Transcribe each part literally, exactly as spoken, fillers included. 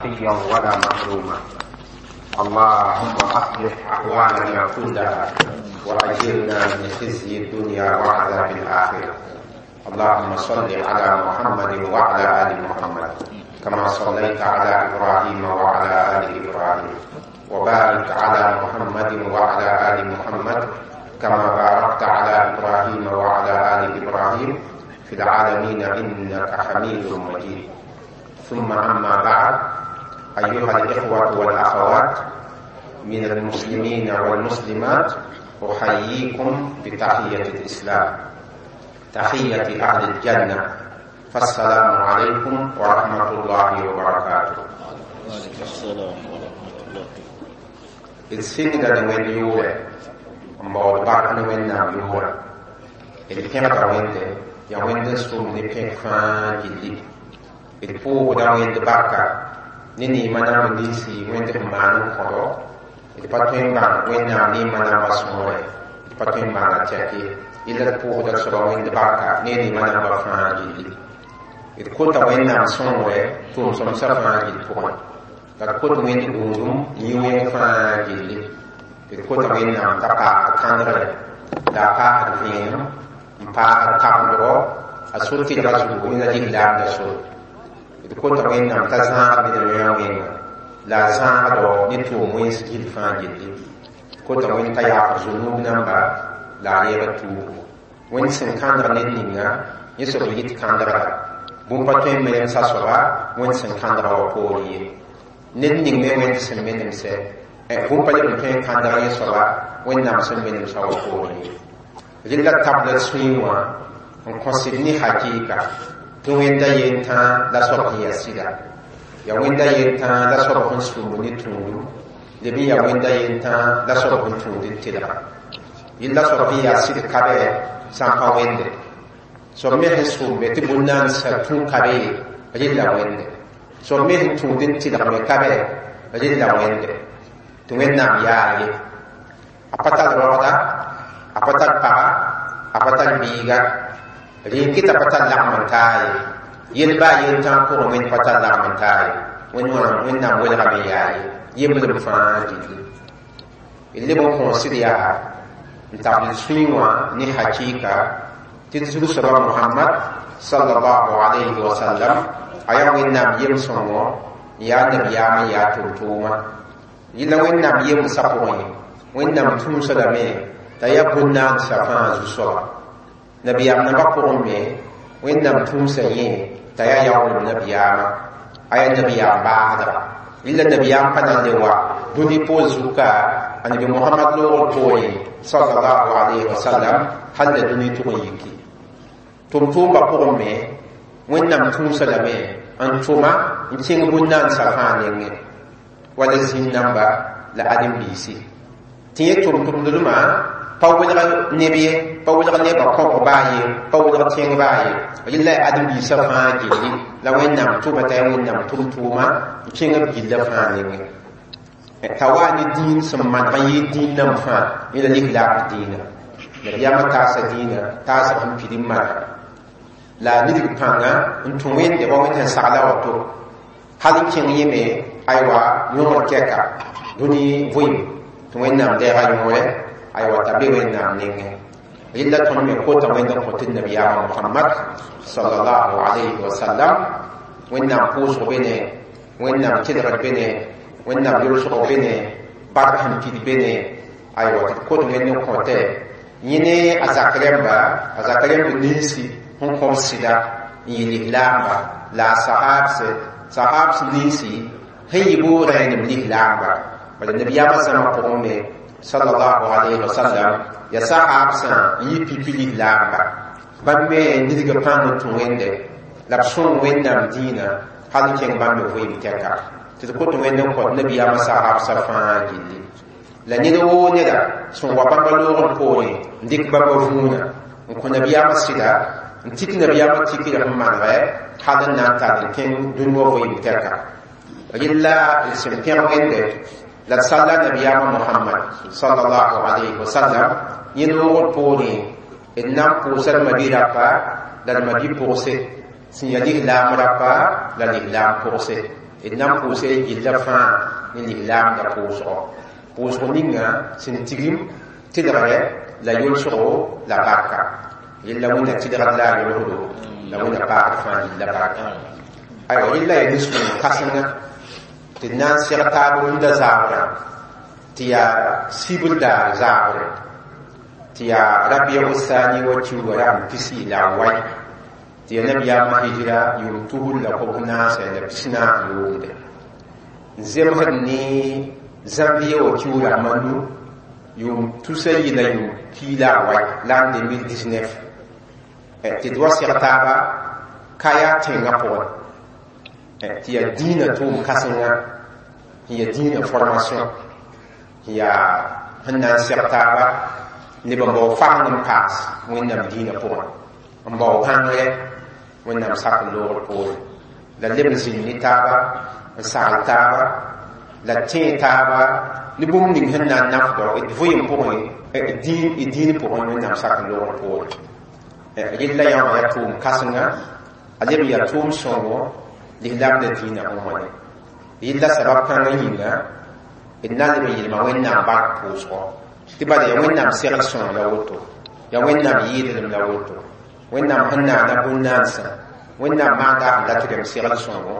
شقيا ولا محروما. اللهم أصلح أحوالنا كلها وأجرنا من خزي الدنيا وعذاب الآخرة. اللهم صل على محمد وعلى آل محمد كما صليت على إبراهيم وعلى آل إبراهيم، وبارك على محمد وعلى آل محمد كما باركت على إبراهيم وعلى آل إبراهيم في العالمين إنك حميد مجيد. ثم أما بعد، أيها الإخوة والأخوات من المسلمين والمسلمات، أحييكم بتحية الإسلام، تحية أهل الجنة، فالسلام عليكم ورحمة الله وبركاته. وعليكم السلام ورحمة الله. D sɩngda ne Wẽnd yʋʋrɛ n baood bark ne Wẽnnaam yʋʋrã. D pẽgda Wẽnde, yaa Wẽnd n sʋm ne pẽk fãa gilli. D pʋʋsda Wẽnd barka ne neema namb ninsi Wẽnd sẽn maan n kõdo. D pa tõe n bãng Wẽnnaam neema namba sõore, d pa tõe n bãnga tɛk ye. Yella d pʋʋsda soaba Wẽnd barka ne neema namba fãa gilli. D kota Wẽnnaam sõngre tʋʋm-sõmsã fãa gill pʋgẽ. La d kot Wẽnd gũudum yĩ wẽng fãa gilli. D kota Wẽnnaam t'a paasd kãndgre, la a paasd vẽenem, n paasd kabendgo a sor tɩlga zugu ne la lislaamda sor. D kota Wẽnnaam t'a zãag ned wẽnga wẽnga, la a zãagdo ne tʋʋm wẽns gill fãa gilli. D kota Wẽnd t'a yaafd zũnub namba, la a reeg tuugo. Wẽnd sẽn kãndg ned ninga, yẽ soab n yit kãndgda. Bũmb pa tõe n menemsa soaba Wẽnd sẽn kãndga wã poorẽ ye. Ned ning me Wẽnd sẽn menemsɛ, bũmb pa leb n tõe n kãndg yẽ soaba Wẽnnaam sẽn menemsa wã poorẽ ye. Rɩla tabla sũyẽ wã n kõsd ne hakɩɩka tɩ Wẽnda yentã la soab sẽn yaa sɩda. Yaa Wẽnda yentã la soab sẽn sũmb ne tũudum, leb n yaa Wẽnda yentã la soab sẽn tũud n tɩlga. Yella soab sẽn yaa sɩd ka bɛ sã n pa Wẽnde. Soab me sẽn sʋmbe tɩ bũn-naandsã tũ ka be ye, rɩla Wẽnde. Soab me sẽn tũud n tɩlg me ka bɛ, rɩla Wẽnde. Tɩ Wẽnnaam yaa ye. A pa tar roogda, a pa tar paga, a pa tar biiga. Rẽ n kɩt a pa tar lagm n taa ye. Yel baa yentã pʋgẽ Wẽnd pa tar lagm n taa ye. Wẽnnaam welgame yaa ye. Yembrem fãa gilli. D leb n kõosd yaa n tabl sũyẽ wã ne hakɩɩka tɩ d zug-soaba Mohamad sallallahu alayhi wa sallam a yaa Wẽnnaam yem-sõngo, n yaa nabiyaam n yaa tʋm-tʋʋma. Yella Wẽnnaam yemsã pʋgẽ, Wẽnnaam tũusa lame t'a yaa bũn-naandsã fãa zu-soaba. Nabiyaam nambã pʋgẽ me, Wẽnnaam tũusa yẽ t'a yaa yaoolem nabiyaamã, a yaa nabiyaam baasdga. Yella nabiyaam pa na n le wa dũni poor zuka a nabi Mohamad loogr poorẽ sallallahu alayhi wa sallam hal la dũni tʋg n yiki. Tʋm-tʋʋmbã pʋgẽ me, Wẽnnaam tũusa lame n tʋma n kẽng bũn-naandsã fãa nengẽ, wala zĩn namba la ãdem-biisi. Tɩ yẽ tʋm-tʋmdmã pa welg neb ye, pa welg nebã kõbg baa ye, pa welg tẽng baa ye. Yella yaa ãdem-biisã fãa gilli la Wẽnnaam tʋma t'a yaa Wẽnnaam tʋm-tʋʋma n kẽng b gillã fãa nengẽ. T'a wa ne dĩin sẽn maneg n yɩɩ dĩin nan fãa, yẽ la lislaam dĩinã. Nabiyaamã taasa dĩinã, taasg sẽn pid n manega. La a nidg pãnga n tũ Wẽnde wa Wẽnd sẽn sagla woto. Hal n kẽng yẽ me aywa yõgr kɛka dũni vɩɩm tɩ Wẽnnaam deega yõore, aywa t'a be Wẽnnaam nengẽ. Rɩla tõnd me kota Wẽnd n kõ tɩ nabiyaamã Mohamad sallallahu alayhi wa sallam. Wẽnnaam pʋʋsg be ne, Wẽnnaam tɩlgr be ne, Wẽnnaam yolsg be ne, bark sẽn pid be ne, aywa tɩ d kot Wẽnd n kõtɛ yẽ ne a zak rẽmba, a zak rẽmb ninsi sẽn kõm sɩda n yɩ lislaamba, la a sahaabse, sahaabs ninsi sẽn yɩ bʋ rẽenem lislaamba. Bala nabiyaamã zãma pʋgẽ me sallallahu alayhi wa sallam ya sahaabsã n yɩ pipi lislaamba. Bãmb me nidga pãng n tũ Wẽnde la b sõng Wẽnnaam dĩinã hal n kẽng bãmb me vɩɩm tɛka. Tɩ d kot Wẽnd n kõt nabiyaamã sahaabsã fãa gilli. La ned woo neda sẽn wa bãmba loogr poorẽ n dɩk bãmba vũuna n kõ nabiyaamã sɩda, n tik nabiyaamã tikr sẽn manegɛ hal n na n tar n kẽng dũni wã vɩɩm tɛka. Rɩla d sẽn pẽg Wẽnde la d salla nabiyaamã Mohamad sallallahu alayhi wa sallam yẽ noogr poorẽ, d na n pʋʋsa d mabi-rapa la d mabi-pʋgse sẽn yaa lislaam rapa la lislaam pʋgse. d na n pʋʋsa gilla fãa ne lislaamda pʋʋsgɔ pʋʋsg ninga sẽn tigim tɩlgrɛ la yolsgo la barka yella wẽnna tɩlgd la a yolsdo la wẽnna paagd fãa gilla barka aywa yella yaa nin-sõng kãsenga tɩ d na n seg taab rũndã zaabrã tɩ yaa sibr daar zaabre tɩ yaa rabia thani wa kiuga rasem pisi la a wai tɩ yaa nabiyaamã hijra yʋʋm tusr la kobs naasɛ la pis-naas yʋʋmde n zemsd ne janvier wa kiug rasem a nu yʋʋm tusa yi la yʋʋm pii la a wai l'an deux mille dix-neuf tɩ d wa seg taaba kaya tẽngã pʋgẽ tɩ yaa dĩinã tʋʋm kãsenga sẽn yaa dĩinã formation sẽn yaa sẽn na n seg taaba neb n bao faseng n paas wẽnnaam dĩinã pʋgẽ n bao bãngre wẽnnaam sak n loogr poore la leb n zĩnd ne taaba n sagl taaba la tẽe taaba ne bũmb ning sẽn na n nafdɔ d vɩɩm pʋgẽ d dĩin pʋgẽ wẽnnaam sak n loogr poore yella yãwã yaa tʋʋm kãsenga a leb n yaa tʋʋm sõngo lislaamda dĩinã sẽn wãne yella sabab kãngã yĩnga d na leb n yelma wẽnnaam bark pʋʋsgɔ tɩ bala yaa wẽnnaam segl sõng la woto yaa wẽnnaam yɩɩdlem la woto wẽnnaam sẽn naana bũn-naansã wẽnnaam maanda sẽn dat rem segl sõngo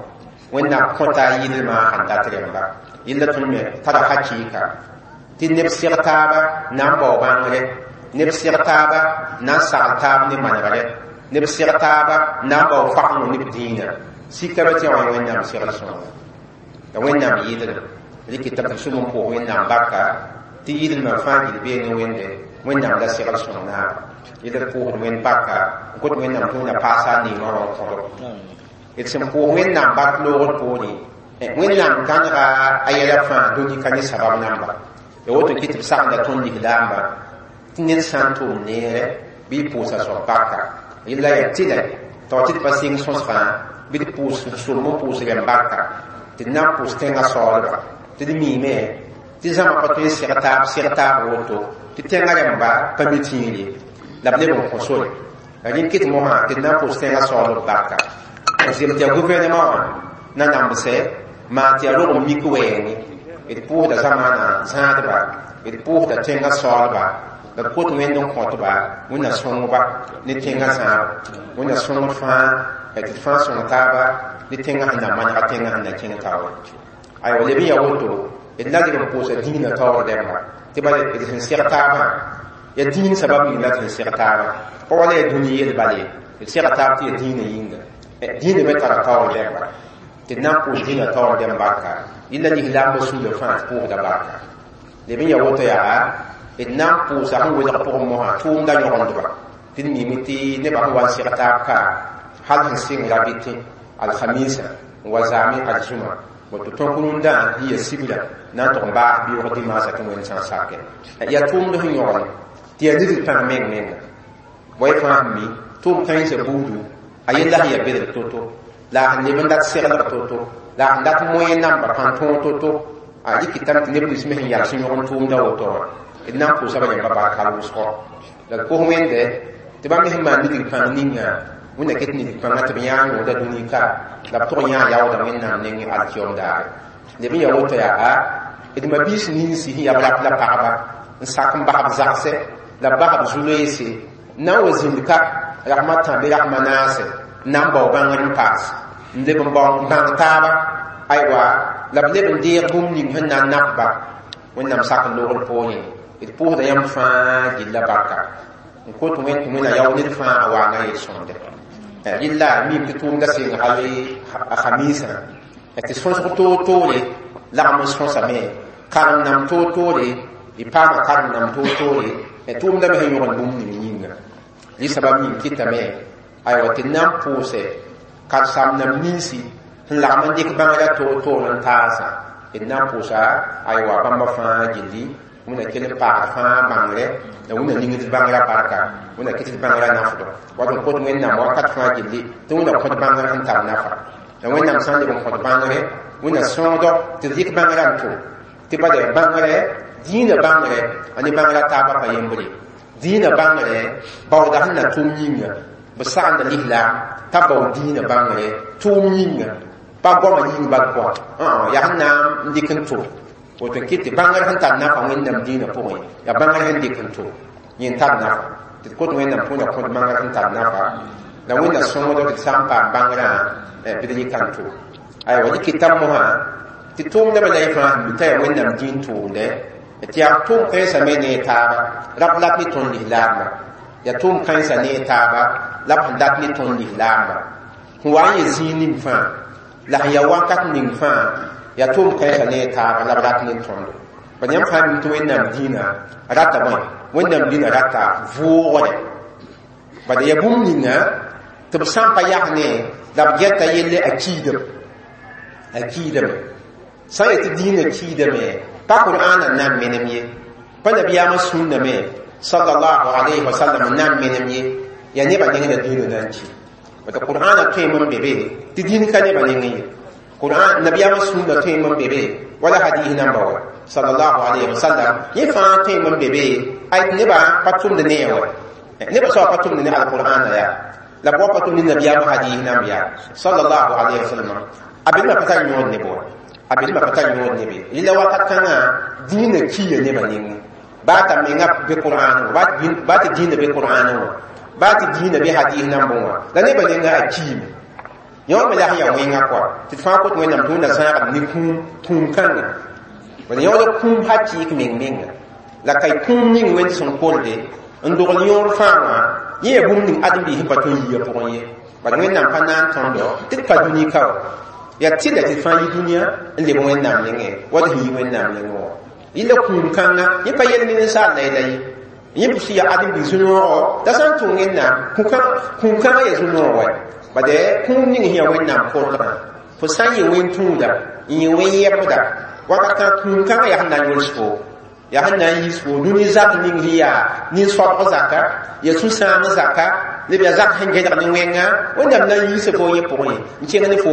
wẽnnaam kõta a yɩɩdlmã sẽn dat rẽmba yella tõnd me tara hakɩɩka tɩ neb seg taaba na n bao bãngre neb seg taaba na n sagl taab ne manegre neb seg taaba na n bao fasengõ neb dĩinã sika be tɩ yaa wẽnnaam segl sõngo la wẽnnaam yɩɩdlem rɩkɩta tɩ sʋm n pʋʋs wẽnnaam barka tɩ yɩɩdlmã fãa gil bee ne wẽnde wẽnnaam la segl sõng naaba yella d pʋʋsd wẽnd barka n kot wẽnnaam tɩ wẽnna paasa a neemã wã n kõdo d sẽn pʋʋs wẽnnaam bark loogr poore wẽnnaam gãnega a yɛla fãa dũni ka ne sabab namba ya woto kɩ tɩ b sagenda tõnd lislaamba tɩ ned sã n tʋʋm neere bɩ y pʋʋsa soab barka yella yaa tɩlɛ tao tɩ d pa sɩng sõsgã bɩ d pʋʋs sʋlem n pʋʋs rẽm barka tɩ d na n pʋʋs tẽngã saoolba tɩ d miime tɩ zãma pa tõe n seg taab seg taab woto tɩ tẽngã rẽmba pa mi tĩir ye la b leb n kõ sore la rẽnd kɩt mosã tɩ d na n pʋʋs tẽngã saoolb barka n zem tɩ yaa gouvernement wã na namsɛ maan tɩ yaa rog n mik wɛɛngẽ d pʋʋsda zamaanã zãadba d pʋʋsda tẽngã saoolba la d kot wẽnd n kõtba wẽnna sõngba ne tẽngã zãab wẽnna sõngd fãa tɩ d fãa sõng taaba ne tẽngã sẽn na manega tẽngã sẽn na kẽng taoore aywa leb n yaa woto d la leb n pʋʋsa dĩinã taoor rẽmba tɩ bala d sẽn seg taabã yaa dĩin sabab ning la tɩ sẽn seg taaba pa wala yaa dũni yel bala ye d sega taab tɩ yaa dĩinã yĩnga dĩinã me tara taoor rẽmba tɩ d na n pʋʋs dĩinã taoor rẽmb barka yella lislaambã suulã fãa tɩ pʋʋsda barka leb n yaa woto yaa d na n pʋʋsa sẽn welg pʋgẽ mosã tʋʋmda yõgendba tɩ d miime tɩ nebã sẽn wa n seg taab ka hal sẽn sɩng rabɩtẽ alhamisa n wa zaame aljuma woto tõk rũndã sẽn ya sibra na n tʋg n baas bɩʋg dimaasã tɩ wẽnd sã n sake yaa tʋʋmd sẽn yõgene tɩ yaa nidg pãng meng menga wa y fãa sẽn mi tʋʋm kãensã buudu a yella sẽn yaa bedg to-to la a sẽn leb n dat seglg to-to la a sẽn dat moyen namba pãn tõog to-to a rɩkɩtame tɩ neb nins me sẽn yals n yõgen tʋʋmda woto wã d na n pʋʋsa ba yãmba bark hal wʋsgɔ la d kos wẽnde tɩ bãmb me sẽn maan nidg pãng ninga wẽnna ket nidg pãngã tɩ b yãag yõoda dũni ka la b tʋg yãag yaoodã wẽnnaam nengẽ alkiom daare leb n yaa woto yaa d mabiis ninsi sẽn yaa b rap la pagba n sak n bas b zagsɛ la b bas b zu-loeese n na n wa zĩnd ka rasma tã bɩ rasma naase n na n bao bãngr n paas n leb n bao n bãng taaba aywa la b leb n deeg bũmb ning sẽn na n nafba wẽnnaam sak n loogr poorẽ d pʋʋsda yãmb fãa gilla barka n kot wẽnd tɩ wẽnna yao ned fãa a waanga yel-sõmde yella mim tɩ tʋʋmda sɩng hal a khamiisã tɩ sõsg toor-toore lagm n sõsame karem-nam toor-toore d paama karem-nam toor-toore tʋʋmda me sẽn yõgd bũmb ning yĩnga rɩ sabab yĩng kɩtame aywa tɩ d na n pʋʋsɛ karsam-nam ninsi sẽn lagm n dɩk bãngrã toor-toor n taasã d na n pʋʋsa aywa bãmba fãa gilli wẽnna kell n paasd fãa bãngre la wẽnna ningd bãngrã barka wẽnna kɩt bãngrã nafdɔ wat n kot wẽnnaam wakat fãa gilli tɩ wẽnna kõt bãngr sẽn tar nafa la wẽnnaam sã n leb n kõt bãngre wẽnna sõogdɔ tɩ d rɩk bãngrã n tʋm tɩ bala bãngre dĩinã bãngre a ne bãngrã taabã pa yembre dĩinã bãngre baooda sẽn na tʋm yĩnga b sagenda lislaam t'a bao dĩinã bãngre tʋʋm yĩnga Pa goamã yĩng bal pʋga yaa sẽn na n dɩk n tʋm woto n kɩt tɩ bãngr sẽn tar nafa Wẽnnaam dĩinã pʋgẽ yaa bãngr sẽn dɩk n tʋm yẽ n tar nafa tɩ d kot Wẽnnaam põna kõt bãngr sẽn tar nafa la Wẽnna sõngdo tɩ d sã n paam bãngrã bɩ d yɩ kan tʋm aywa dɩk tɩ mosã tɩ tʋʋmdbã la y fãa sẽn mi t'a yaa Wẽnnaam dĩin tʋʋmdɛ tɩ yaa tʋʋm kãensã me ne taaba la b lat ne tõnd lislaamba yaa tʋʋm kãensã ne taaba la b sẽn dat ne tõnd lislaamba sẽn wa n yɛ zĩig ning fãa la sẽn yaa wakat ning fãa yaa tʋʋm kãensã ne taaba la b rat ne tõndo bad yãmb fãa mi tɩ Wẽnnaam dĩinã rata bõe Wẽnnaam dĩinã rata vʋʋgre bad yaa bũmb ninga tɩ b sã n pa yas ne la b gɛta yelle a kiidame a kiidame sã n yetɩ dĩinã kiidame pa Qur'ana n na n menem ye pa nabiyaamã sũnna me sallallahu alayhi wa sallam n na n menem ye yaa nebã neng la dĩinã na n ki bad Qur'ana tõeme n be be tɩ dĩin ka nebã nengẽ ye Qur'an nabiyaamã sũnna tõeme n be be wala hadis namba wa sallallahu alayhi wa sallam yẽ fãa tõeme n be be ay tɩ nebã pa tʋmd ne wa nebã soaba pa tʋmd ne alqur'ana yaa la b wa pa tʋmd ne nabiyaamã hadis namb yaa sallallahu alayhi wa sallam a belmã pa tar yõod ne bo a belmã pa tar yõod ne be rɩla wakat kãngã dĩinã kiya nebã nengẽ baa t'a menga be Qur'an wã baa tɩ dĩinã be Qur'an wã baa tɩ dĩinã be hadis nambẽ wã la nebã nengã a kiime yõ me la sẽn yaa wẽnga kɔa tɩ d fãa kot Wẽnnaam tɩ Wẽnna zãagd ne kũum kũum kãnga bad yõod kũum hakɩɩk meng menga la ka y kũum ning Wẽnd sẽn kolde n dogl yõor fãa wã yẽ yaa bũmb ning ãdem-biis sẽn pa tõe n yia pʋgẽ ye bad Wẽnnaam pa na n tõndo tɩ d pa dũni ka wa yaa tɩla tɩ d fãa yi dũniyã n leb Wẽnnaam nengẽ wa d sẽn yi Wẽnnaam nengẽ wã yɩla kũum kãnga yẽ pa yel ne ninsaal la la ye yẽ pʋs yaa ãdem-biis zu-noogɔ t'a sã n tʋ Wẽnnaam kũum kãngã yaa zu-noog wa bad kũum ning sẽn yaa Wẽnnaam kolgã fo sã n yɩ wẽn-tũuda n yɩ wẽn-yɛbda wakat kãng kũum kãngã yaa sẽn na n yõls fo yaa sẽn na n yiis fo dũni zak ning sẽn yaa nin-soabg zaka yaa sũ-sãang zaka leb yaa zak sẽn gẽdg ne wẽnga Wẽnnaam na n yiisa fo yẽ pʋgẽ n kẽng ne fo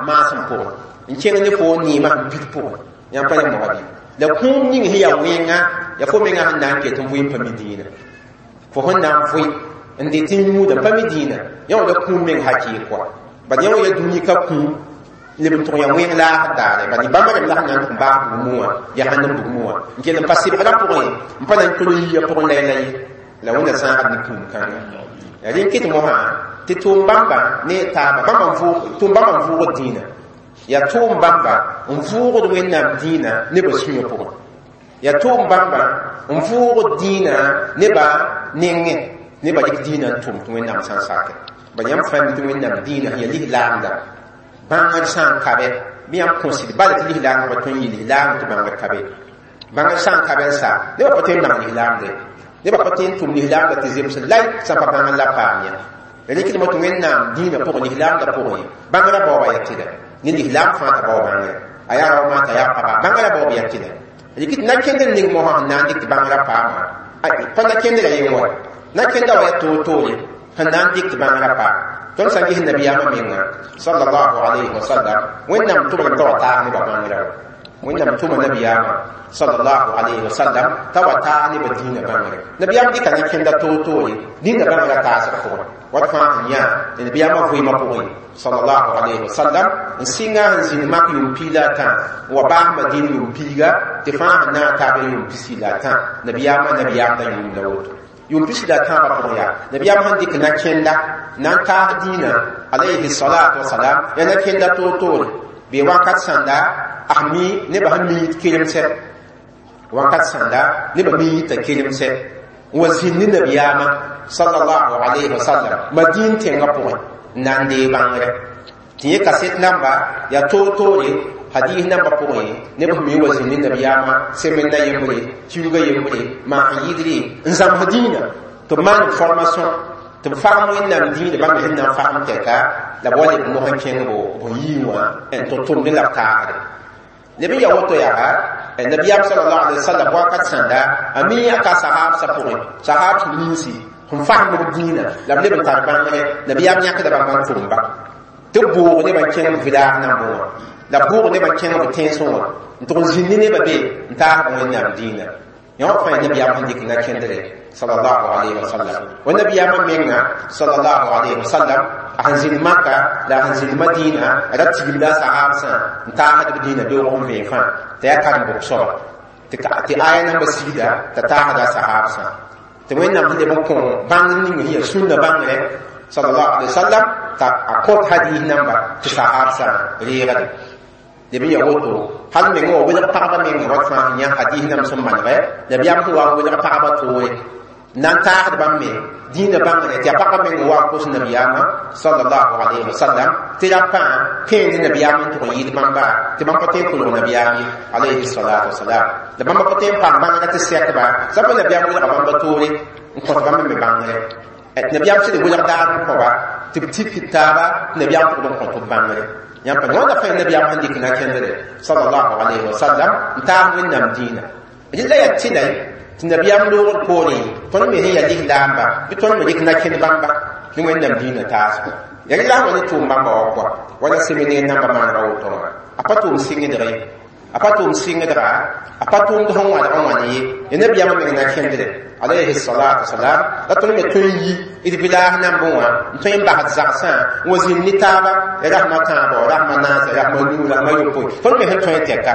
maasem pʋgẽ n kẽng ne fo neemã sẽn bid pʋgẽ yãmb pa ne moga bɩ la kũum ning sẽn yaa wẽnga yaa fo menga sẽn na n ket n vʋɩ n pa mi dĩinã fo sẽn na n vʋɩ n det n yũuda n pa mi dĩinã yã wã la kũum meng hakɩɩk kɔa bad yã wã yaa dũni ka kũum leb n tʋg yaa wẽng laasd daare bad bãmba rem la sẽn na n tʋg baas bugmẽ wã yaa sãn n bugmẽ wã n kell n pa sɩbgrã pʋgẽ n pa na n tol n yia pʋgẽ la la ye la Wẽnna zãagd ne kũum kãnga yaa rẽ n kɩt mosã tɩ tʋʋm bãmba ne taaba bãmba tʋʋm bãmba n vʋʋgd dĩinã yaa tʋʋm bãmba n vʋʋgd Wẽnnaam dĩinã nebã sũyã pʋgẽ yaa tʋʋm bãmba n vʋʋgd dĩinã nebã nengẽ nebã dɩk dĩinã n tʋm tɩ Wẽnnaam sã n sake bad yãmb fãa mi tɩ Wẽnnaam dĩinã sẽn yaa lislaamda bãngr sã n ka bɛ bɩ yãmb kõsd bala tɩ lislaam pa tõe n yɩ lislaam tɩ bãngr ka be bãngr sã n ka bɛ n sa nebã pa tõe n bãng lislaamde nebã pa tõe n tʋm lislaamda tɩ zems lay sã n pa bãngr la paam yã rɩkdmã tɩ Wẽnnaam dĩinã pʋgẽ lislaamda pʋgẽ bãngrã baooba yaa tɩlɛ ne lislaam fãa t'a bao bãngre a yaa rao maata yaa paba bãngrã baoob yaa tɩlɛ rɩk tɩ na-kẽndr ning mosã sẽn na n dɩk tɩ bãngrã paama pa na-kẽndrã ye wa na-kẽnda wa yaa toor-toore sẽn na n dɩk tɩ bãngrã paam tõnd sã n ges nabiyaamã menga sallallahu alayhi wa sallam Wẽnnaam tʋmame t'a wa taas nebã bãngrã wa Wẽnnaam tʋma nabiyaamã sallallahu alayhi wa sallam t'a wa taas nebã dĩinã bãngre nabiyaam dɩka na-kẽnda toor-toore dĩinã bãngrã taasg pʋgẽ wat fãa sẽn yã nabiyaamã vɩɩmã pʋgẽ sallallahu alayhi wa sallam n sɩnga sẽn zĩnd mak yʋʋm piig la a tã n wa baas Madin yʋʋm piiga tɩ fãa sẽn na n taab yʋʋm pisi la a tã nabiyaamã nabiyaamda yʋʋm la woto yʋʋm pisi la a tãabã pʋgẽ yaa nabiyaam sẽn dɩk na-kẽnda na n taas dĩinã alayhi salatu wasalam yaa na-kẽnda toor-toore bee wakat sãnda a mi nebã sẽn mi tɩ kelemsɛ wakat sãnda nebã mi t'a kelemsɛ n wa zĩnd ne nabiyaamã sallallahu alayhi wa sallam Madin tẽngã pʋgẽ n na n dee bãngre tɩ yẽ kaset namba yaa toor-toore hadis namba pʋgẽ neb sẽn mi wa zĩnd ne nabiyaamã semaine yembre kiuga yembre maan yɩɩdre n zãms dĩinã tɩ b maan formation tɩ b fagem Wẽnnaam dĩinã bãmb sẽn na n fagem tɛka la b wa leb mos n kẽng bo b yii wã n tɩ tʋmdẽ la b taagre leb n yaa woto yaa nabiyaam sallallahu alaihi wasallam wakat sãnda a mi a ka sahabsã pʋgẽ sahab sẽn ninsi sẽn fasem b dĩinã la b leb n tar bãngre nabiyaam yãkda bãmba n tʋmba tɩ b bʋʋg nebã n kẽng village nambẽ wã la b bʋʋg nebã n kẽng b tẽnsẽ wã n tʋg n zĩnd ne nebã be n taas b Wẽnnaam dĩinã yã wã fãa nabiyaam sẽn dɩk na-kẽndre sallallahu alayhi wa sallam wa nabiyama menga sallallahu alayhi wa sallam a sẽn zĩnd Maka la a sẽn zĩnd Madina a ra tigimda a sahabsã n taasd b dĩinã beoog n vẽe fãa t'a yaa karen-bʋk soaba tɩ aya namba sigda t'a taasda a sahabsã tɩ Wẽnnaam sẽn leb n kõ bãngr ning sẽn yaa sũnna bãngre sallallahu alayhi wa sallam t'a a kõt hadis namba tɩ sahabsã reegde leb n ya woto hal mengã wa welg pagba menga wat fãa sẽn yã hadis nam sẽn manegɛ nabiyaam sẽn wa n welg pagba toore n na n taasd bãmb me dĩinã bãngre tɩ yaa pagba meng wa n kos nabiyaamã sallallahu alayhi wa sallam tɩ ra pãa kẽend nabiyaam n tʋg n yɩɩd bãmba tɩ bãmb pa tõe n kolg nabiyaam ye alayhi salatu wasalam la bãmba pa tõe n paam bãngrã tɩ sɛkba sã pa nabiyaam welga bãmba toore n kõt bãmb me bãngre tɩ nabiyaam sẽd welg daar n kõba tɩ b tik taaba tɩ nabiyaam tʋgd n kõt b bãngre yãmb pa wãnda fãa nabiyaam sẽn dɩk na kẽndre sallallahu alayhi wa sallam n taas Wẽnnaam dĩinã rɩla yaa tɩlay tɩ nabiyaam loogr poorẽ tõnd me sẽn yaa lislaamba bɩ tõnd me rɩk na kẽnd bãmba ne Wẽnnaam dĩinã taasgo ya rɩla sẽn wa ne tʋʋm bãmba wa kɔa wala séminaire namba maanega woto wã a pa tʋʋm sɩngdg ye a pa tʋʋm sɩngdga a pa tʋʋmd sẽn wãdg n wãn ye ya nabiyaamã meng na kẽndre alayhi salatu wasalam la tõnd me tõe n yi d village nambẽ wã n tõe n basd zagsã n wa zĩnd ne taaba ya rasma tãabo rasma naasa rasma nuu rasma yopoe tõnd me sẽn tõe n tɛka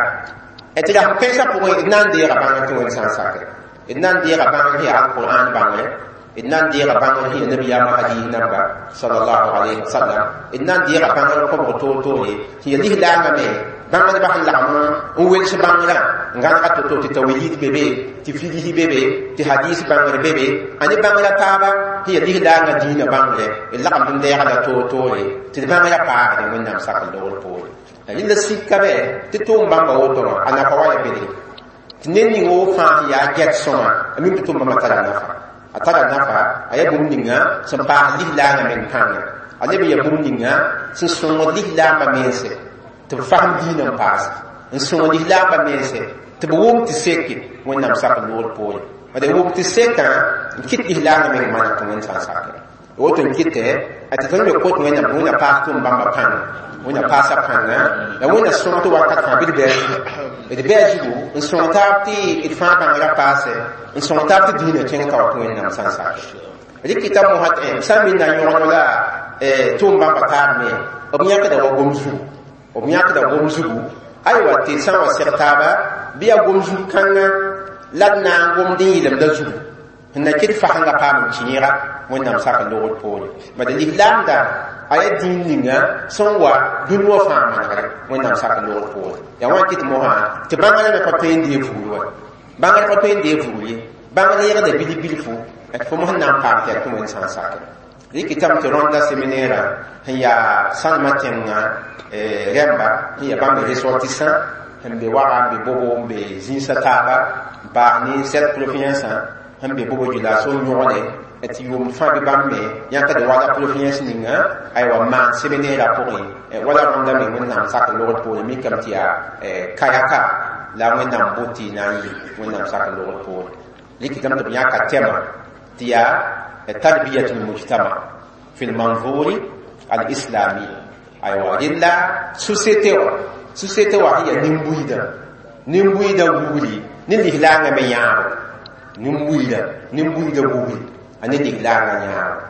tɩ rasm kãensã pʋgẽ d na n deega bãngr tɩ Wẽnd sã n sake d na n deega bãngr sẽn yaa alqur'an bãngre d na n deega bãngr sẽn yaa nabiyaamã hadis namba sallallahu alayhi wa sallam d na n deega bãngr kõbg toor-toore sẽn yaa lislaangã me bãngdbã sẽn lagm n wels bãngrã n gãnega to-to tɩ tawhid be be tɩ figsi be be tɩ hadis bãngr be be a ne bãngrã taaba sẽn yaa lislaangã dĩinã bãngre d lagmd n deega la toor-toore tɩ d bãngrã paagde Wẽnnaam sak logr poore rẽnda sika bɛ tɩ tʋʋm bãmba woto wã a nafa wa ya bedre tɩ ned ning wo fãa sẽn yaa gɛt sõma a mim tɩ tʋʋm bãmba tara nafa a tara nafa a yaa bũmb ninga sẽn paas lislaangã meng pãnga a leb n yaa bũmb ninga sẽn sõngd lislaambã mense tɩ b fasem dĩinã n paas n sõng lislaambã mense tɩ b wʋm tɩ seke Wẽnnaam sak loogr poore bad wʋm tɩ sekã n kɩt lislaangã meng maneg tɩ Wẽnd sã n sake woto n kɩtɛ tɩ tõnd me kot Wẽnnaam tɩ Wẽnna paas tʋʋm bãmba pãnga Wẽnna paasa pãnga la Wẽnna sõng tɩ wakat fãa bɩ d bɩ a zugu d bɩ a zugu n sõng taab tɩ d fãa bãngrã paase n sõng taab tɩ dĩinã kẽng ka wa tɩ Wẽnnaam sã n sake rɩkɩta mosã tɩ sã n minna yõgd la tʋʋm bãmba taab me b yãkda wa gom zugu b yãkda gom zugu aywa tɩ sã n wa seg taaba bɩ yaa gom zug kãngã la d na n gomd n yɩlemda zugu sẽn na kɩt fasẽngã paam n kẽega Wẽnnaam sak logr poore bad lislaamda a yaa dĩin ninga sẽn wa dũni wã fãa manegre Wẽnnaam sak logr poore yaa wã kɩt mosã tɩ bãngrã me pa tõe n dee vugr wa bãngr pa tõe n dee vugr ye bãngr yegda bilf bilfu tɩ fo mos n na n paam tɩ yaa tɩ Wẽnd sã n sake rɩkɩtame tɩ rõnda séminaire sẽn yaa sãnemã tẽngã rẽmba sẽn yaa bãmb ressortissant sẽn be waga n be bobo n be zĩnsã taaba n paas ne sept province sẽn be bobo djulaso n yõgde tɩ yʋʋmd fãa bɩ bãmb me yãkd wala province ninga aywa maan séminaire pʋgẽ wala rõnda me Wẽnnaam sak logr poore mikame tɩ yaa kayaka la Wẽnnaam bot tɩ na n yɩ Wẽnnaam sak logr poore rɩkɩtame tɩ b yãka tɛma tɩ yaa تربية المجتمع في المنظور الإسلامي aywa rẽnda société wã société wã sẽn yaa nin-buiidã nin-buiidã wugri ne lislaangã me yãabo nin-buiidã nin-buiidã wugri a ne lislaangã yãabo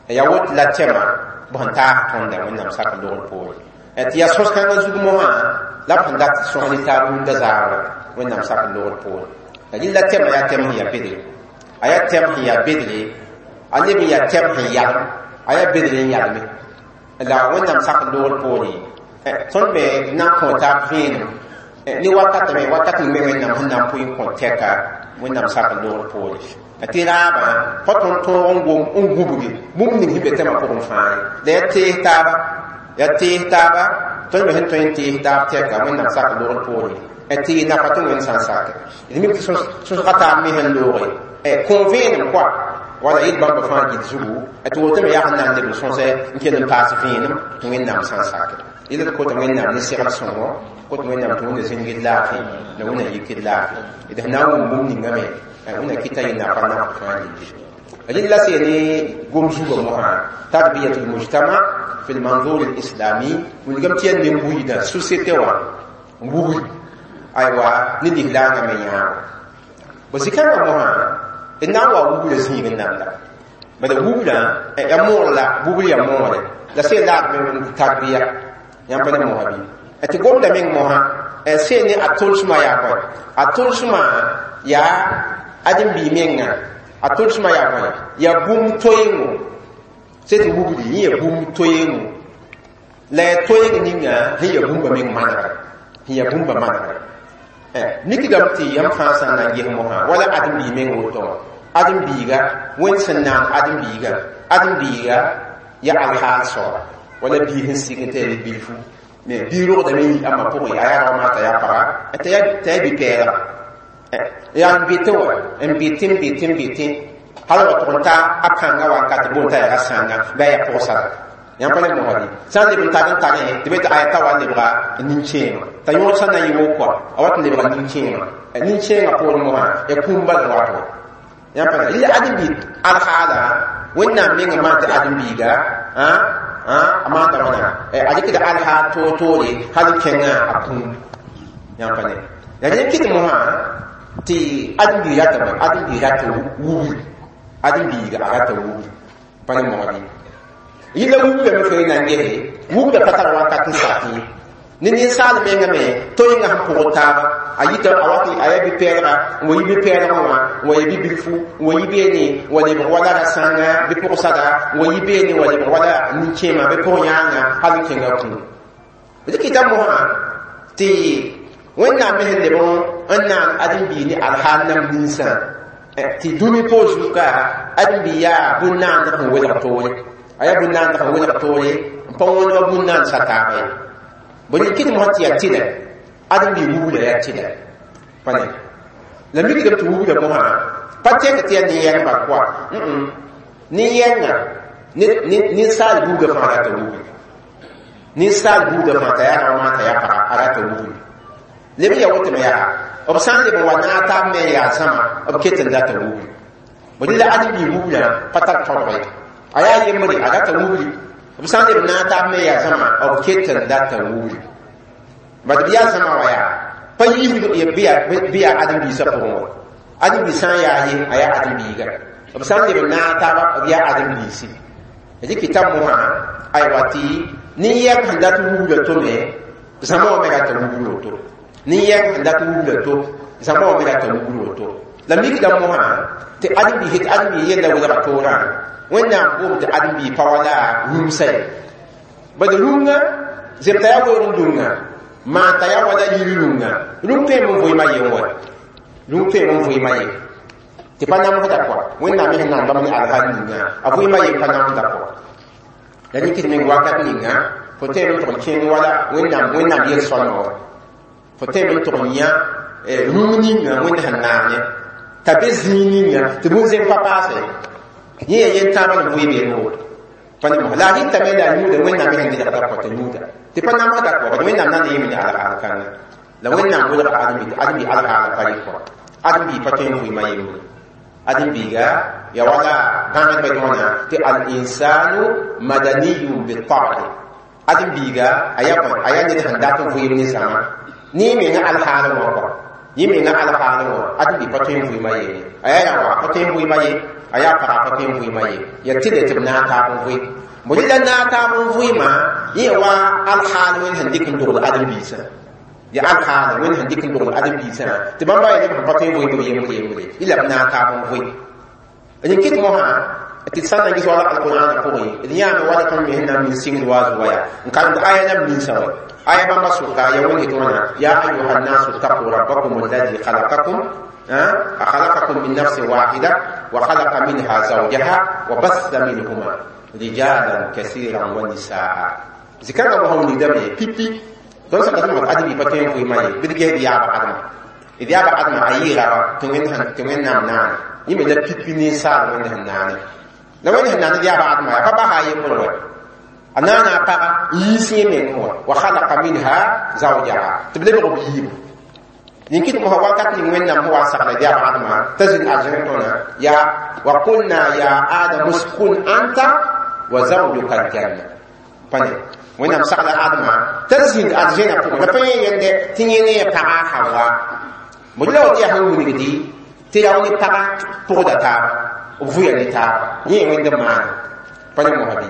yaa woto la tɛma b sẽn taas tõnda Wẽnnaam sak logr poore tɩ yaa sõs-kãngã zug mosã la b sẽn dat sõs ne taab rũndã zaagra Wẽnnaam sak logr poore la rẽnda tɛma yaa tɛm sẽn yaa bedre a yaa tɛm sẽn yaa bedre a leb n yaa tɛm sẽn yalem a yaa bedre n yalme la Wẽnnaam sak logr poore tõnd me na n kõ taab vẽenem ne wakat me wakat ning me Wẽnnaam sẽn na n pʋɩ n kõ tɛka Wẽnnaam sak logr poore tɩ raabã pa tõnd tõog n wom n gũbge bũmb ning sẽn be tɛmã pʋgẽ fãa ye la yaa tees taaba yaa tees taaba tõnd me sẽn tõe n tees taab tɛka Wẽnnaam sak logr poore tɩ nafa tɩ Wẽnd sã n sake d mik tɩ sõsga taab me sẽn looge kõ vẽenem koa wala yɩl bãmba fãa gil zugu tɩ woto me yaa sẽn na n leb n sõsɛ n kell n paas vẽenem tɩ Wẽnnaam sã n sake yɩl d kot Wẽnnaam ne segl sõngo kot Wẽnnaam tɩ Wẽnna zĩngd laafɩ la Wẽnna yikd laafɩ d sẽn na n wʋm bũmb ninga me Wẽnna kɩta yɩ nafa naf fãa gilli rẽnd la sẽn ne gom zugã mosã تربية المجتمع في المنظور الإسلامي wilgame tɩ yaa nin-buiidã société wã wugri aywa ne lislaangã me yãabo bõ zikãngã mosã D na n wa wubla zĩig n namda bala wublã ya moor la bubl ya moore la sẽn laad me tarbiya yãmb pa ne mosa bɩ tɩ gomda meng mosã sẽn ne a tʋlsmã yaa bõe a tʋlsmã yaa ãdem-biig menga a tʋlsmã yaa bõe yaa bũmb toeengo sẽn tɩ wubli yẽ yaa bũmb toeengo la ya toeeng ninga sẽn yaa bũmba meng manegre sẽn yaa bũmba manegre mikdame tɩ yãmb fãa sã n na n ges mosã wala ãdem-biig meng woto wã ãdem-biiga wẽnd sẽn naan ãdem-biiga ãdem-biiga ya alhaal soaba wala biig sẽn sik n t'a yaa bilfu me bii rogdame n yi ãmba pʋgẽ a yaa raoomã t'a yaa paga t'a yaa bi-pɛɛlga yaa n betẽ wa n betẽ n betẽ n betẽ hal wa tʋg n ta a pãnga wakat boond t'a yaa ra-sãnga bɩ a yaa pʋgsara yãmb pa ne mosã bɩ sã n leb n tar n tarẽ tɩ be tɩ aya ta wa n lebga nin-kẽema t'a yõod sã na n yɩ woko a wat n lebga nin-kẽema nin-kẽengã poorẽ mosã ya kũum bal n wat wa yãmb pa ne ãdem-biig alhaala wẽnnaam mengã maan tɩ ãdem-biiga a maanda wãna a dɩkda alhaal toor-toore hal n kẽngã a kũum yãmb pa ne la rẽ kɩt mosã tɩ ãdem-biig ratame ãdem-biig rata wubri ãdem-biiga a rata wubri pa ne mosã bɩ yɩla wubrame fo na n gese wubra pa tar wakat n sak ye ne ninsaal menga me toenga sẽn pʋgd taaba a yita a wat a yaa bi-pɛɛlga n wa yi bi-pɛɛlgã wã n wa yi bi-bilfu n wa yi beene n wa lebg wala ra-sãnga bɩ pʋgsada n wa yi beene n wa lebg wala nin-kẽema bɩ pʋg-yãanga hal n kẽnga kũum d kɩta mosã tɩ wẽnnaam me sẽn leb n naan ãdem-biig ne alhaal nam ninsã tɩ dũni poor zuka ãdem-biig yaa bũn-naand sẽn welg toore a yaa bũn-naand sẽn welg toore n pa wõnd wa bũn-naand sa taaba ye bõe ne kɩt mosã tɩ yaa tɩlɛ ãdem-biig wubla yaa tɩlɛ pa ne la mikdame tɩ wubla mosã pa tẽk tɩ yaa nin-yɛng bal koa nin-yɛngã ninsaal buudã fãa rata wubli ninsaal buudã fãa t'a yaa raomã t'a yaa paga a rata wubli leb n yaa woto me yaa b sã n leb n wa naag taab me n yaa zãma b ket n data wubli bõe la ãdem-biig wubla pa tar tõdg ye a yaa yembre a rata wubli b sã n leb n naag taab me n yaa zãma b ket n data wubli bad b yaa zãma wa yaa pa yiisd bɩ yaa ãdem-biisã pʋgẽ wa ãdem-biig sã n yaa ye a yaa ãdem-biiga b sã n leb n naag taaba b yaa ãdem-biisi d kɩta mosã aywa tɩ nin-yɛng sẽn dat wubla to me zãma wã me rata wubr woto nin-yɛng sẽn dat wubla to zãma wã me rata wubr woto la mikda mosã tɩ ãdem-biis tɩ ãdem-biis yella welga toorã wẽnnaam boom tɩ ãdem-biig pa wala rũmsa ye bad rũngã zemta yaa weoog n dũngã maan t'a yaa wala yiri rũngã rũng tõeme n vʋɩɩmã yen wa rũng tõeme n vʋɩɩmã ye tɩ pa namsda kɔa wẽnnaam me sẽn naan bãmb ne alhaal ninga a vʋɩɩmã yen pa namsda kɔa la rẽ kɩt meng wakat ninga fo tõeme n tʋg n kẽng wala wẽnnaam wẽnnaam yel-sõlmã wa fo tõeme n tʋg n yã rũng ninga wẽnd sẽn naane t'a be zĩig ninga tɩ bũn-zẽm pa paase yẽ ya yen-tãabã n vʋɩ beene woto pa ne mosã la a rɩtame la a yũuda wẽnnaam me sẽn gɩlgda kɔ t'a yũuda tɩ pa namsda kɔ bad wẽnnaam na n yem ne alhaal kãnga la wẽnnaam welga ãdem-biig tɩ ãdem-biig alhaala pa rɩ kɔ ãdem-biig pa tõe n vʋɩɩmã yembre ãdem-biiga ya wala bãngdbã tɩ wãna tɩ al-insanu madaniyun bitab'i ãdem-biiga a yaa bõe a yaa ned sẽn dat n vʋɩɩm ne zãma ne yẽ menga alhaal wã kɔ yẽ menga alhaal wã ãdem-biig pa tõe n vʋɩɩmã yene a yaa raoã pa tõe n vʋɩɩmã ye a yaa paga pa tõe n vʋɩɩmã ye yaa tɩlɛ tɩ b naag taab n vʋɩ bõe la naag taab n vʋɩɩmã yẽ wa alhaal wẽnd sẽn dɩk n dogl ãdem-biisã ya alhaal wẽnd sẽn dɩk n dogl ãdem-biisã tɩ bãmba yaa neb sẽn pa tõe n vʋɩɩm b yembre yembre yɩ la b naag taab n vʋɩ d kɩt mosã tɩ d sã n na n ges wala alqur'ana pʋgẽ d yãame wala tõnd me sẽn na n min sɩngd wa a zuga yaa n karemd aya nam ninsã wa aya bãmba sʋka ya wẽnd tɩ wãna ya ayuha nnasu ttaqu rabbakum alladi khalaqakum خلقكم من نفس واحدة وخلق منها زوجها وبث منهما رجالا كثيرا ونساء ذكر الله ندمي بيبي دون سكت ما أدمي بتين في ماي بدي جد يا بعدم إذا يا بعدم أيرا تمين هن تمين نام نان يمين لا بيبي نساء وين هن نان لو وين هن نان يا بعدم فبا هاي مروي أنا أنا أبغى يسمع منه وخلق منها زوجها تبلغ بيجيب يمكن ما هو وقت من وين هو سقل يا بعد ما تزن أجرتنا يا وقلنا يا آدم اسكن أنت وزوجك الجنة فني وين سقل آدم تزن أجرنا فوق لبين يند تنيني بقى حوا ملو يا هو نبدي Tɩ rao ne pagã pʋgda taaba b vʋya ne taaba yẽ wẽnd n maana pa ne mosã bɩ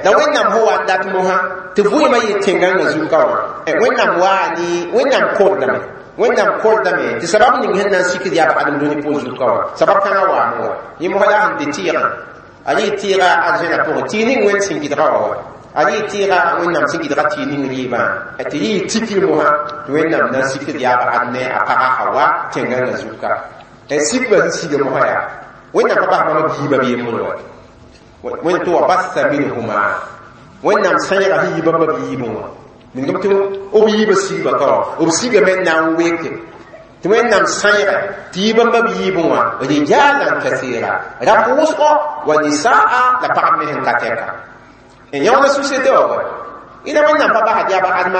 la wẽnnaam sẽn wa n dat mosã tɩ vʋɩɩmã yɩ tẽngãngã zuka wã wẽnnaam waa ne wẽnnaam kordame wẽnnaam kordame tɩ sabab ning sẽn na n sikd yaa adem dũni pʋg zuka wã sabab kãngã waame wa yẽ mosã la sẽn tɩ tɩɩgã a rɩ tɩɩga arzẽna pʋgẽ tɩɩg ning wẽnd sẽn gɩdga wã wa a rɩ tɩɩga wẽnnaam sẽn gɩdga tɩɩg ning rɩɩbã tɩ rɩ tikr mosã tɩ wẽnnaam na n sikd yaaba ad ne a paga Hawa tẽngãngã zuka sikbã sẽn siga mosã yaa wẽnnaam pa bas bãmb biibã bɩ yembre wa wẽnd tɩ wa basa minhuma wẽnnaam sãyga sẽn yi bãmba biibẽ wã ningame tɩ b yiibã sigba ka wã b sigame n na n weke tɩ wẽnnaam sãyga tɩ yi bãmba biibẽ wã rijalan kasira rap wʋsgo wa nisaa la pagb me sẽn ka tɛka yãoona société wã wa ila wẽnnaam pa basd yaaba adma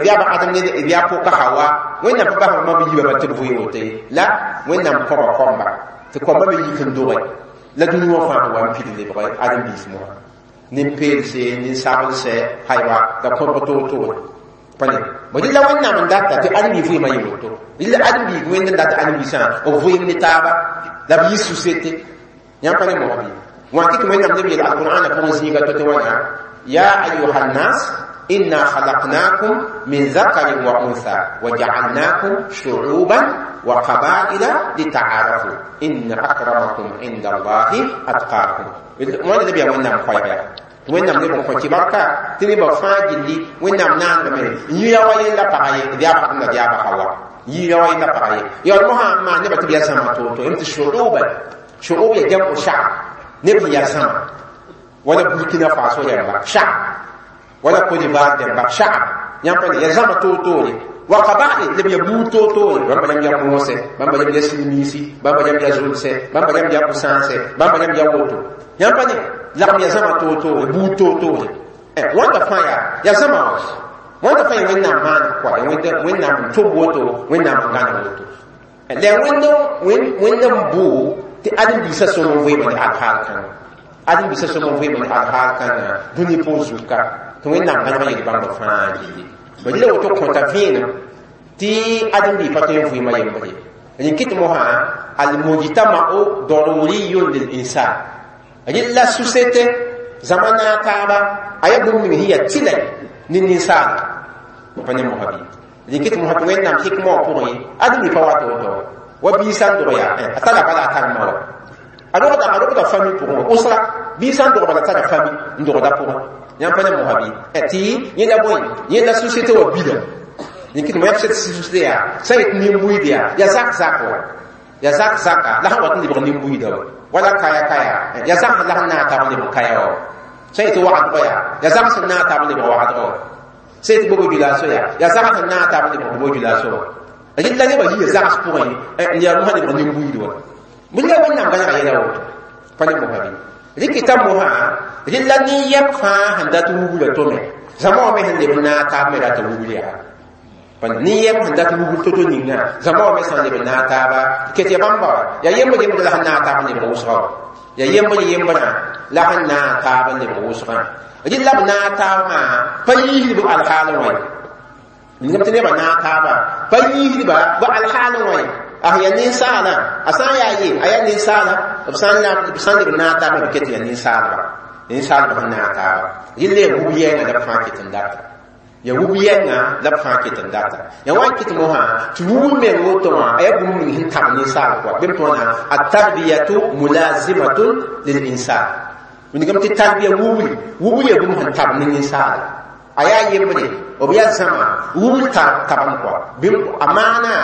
yaaba adem ne yaa pʋka Hawa wẽnnaam pa bas bãmba biibã tɩ b vʋɩ woto ye la wẽnnaam kõba kõmba tɩ kõmba me yik n doge la dũni wã fãa wa n pid lebge ãdem-biis mosã nin-peelse nin-saglsɛ haywa la kõbg toor-toore pa ne bõ dɩ la wẽnnaam n data tɩ ãdem-bi vɩɩmã yɩ woto dɩ la ãdem-biig wẽnd n data ãdem-biisã b vɩɩm ne taaba la b yɩ société yãmb pa ne mosã bɩ wã kɩ tɩ wẽnnaam neb yeel alqur'ana pʋgẽ zĩiga to tɩ wãna ya ayuha nnas inna khalaqnakum min zakarin wa untha wa ja'alnakum shu'uban wa qabaila lita'arafu inna akramakum inda allahi atqakum wãnda neb yaa wẽnnaam koɛɛga yaa tɩ wẽnnaam neb n kõ kɩbarka tɩ nebã fãa gilli wẽnnaam naandame n yɩ wa yella paga ye d yaa pagd la d yaa Hawa yɩ wa yella paga ye yaool mosã n maan nebã tɩ b yaa zãma toor-toor tɩ shu'uban shu'ub ya jam'u sha'b neb sẽn yaa zãma wala Burkina Faso rẽmba sha'b wala Côte d'Ivoire rẽmba sha'b yãmb pa ne yaa zãma toor-toore wa qabail leb ya buud toor-toore bãmba rãmb yaa moose bãmba rãmb yaa silmiisi bãmba rãmb yaa zulsɛ bãmba rãmb yaa pʋsãasɛ bãmba rãmb yaa woto yãmb pa ne lagm yaa zãma toor-toore buud toor-toore wãnda fãa yaa yaa zãma wã wãnda fãa yaa wẽnnaam maan kɔa yaa wẽnnaam n tʋb woto wẽnnaam n gãneg woto la wẽnd n bʋ tɩ ãdem-biisã sõm n vɩɩmã ne alhaal kãngã ãdem-biisã sõm n vɩɩmã ne alhaal kãngã dũni pʋg zuka tɩ wẽnnaam gãneg yel bãmba fãa gilli ba dɩla woto kõta vẽenem tɩ ãdem-biig pa tõe n vɩɩmã yembre rẽn kɩt mosã almujtama'u daruriyun lil insan rɩla société zãma naag taaba a yaa bũmb ning sẽn yaa tɩlɛ ne ninsaala pa ne mosã bɩ rẽn kɩt mosã tɩ wẽnnaam hikmã wã pʋgẽ ãdem-biig pa wat woto wa bii sã n dog yaa a tara bala a tar ma wa a rogda a rogda famille pʋgẽ wa usra bii sã n dog bala tara famille n dogda pʋgẽ yãmb pa ne mosã bɩ tɩ yẽla bõe yẽla société wã bila rẽn kɩt mo société yaa sã n yet nin-buiid yaa yaa zak zak wa yaa zak zaka la sẽn wat n lebg nin-buiida wa wala kaya kaya yaa zak la sẽn naag taab n lebg kaya wa sã n yet wagdgã yaa yaa zak sẽn naag taab n lebg wagdgã wa sã n yet bobo julaso yaa yaa zak sẽn naag taab n lebg bobo julaso wa rɩla nebã yia zags pʋgẽ n yaa mosã lebg nin-buiid wa bɩ la wẽnnaam gãnega yɛla woto pa ne mosã bɩ rɩkɩta mosã rɩla nin-yɛm fãa sẽn dat wubra tome zãma wã me sẽn leb n naag taab me rata wubr yaa nin-yɛm sẽn dat wubr to-to ninga zãma wã me sã n leb n naag taaba ket ya bãmba wa yaa yembr yembr la sẽn naag taab n lebg wʋsga wa yaa yembr yembrã la sẽn naag taab n lebg wʋsgã rɩla b naag taab maa pa yiisd b alhaalẽ wã ye ningame tɩ nebã naag taaba pa yiisdba b alhaalẽ wã ye a yaa ninsaala a sã n yaa ye a yaa ninsaala b sã n leb naag taaba b ket yaa ninsaalba ninsaalba sẽn naag taaba rɩla yaa wub yɛɛngã la b fãa ket n data ya wub yɛnga la b fãa ket n data ya wa n kɩt mosã tɩ wubr meng woto wã a yaa bũmb ning sẽn tab ninsaal kɔa bem tɩ wãna atarbiyatu mulazimatun lil insan wingame tɩ tarbiya wubri wubr yaa bũmb sẽn tab ne ninsaala a yaa yembre b yaa zãma wubr tabam kɔa bɩ a maana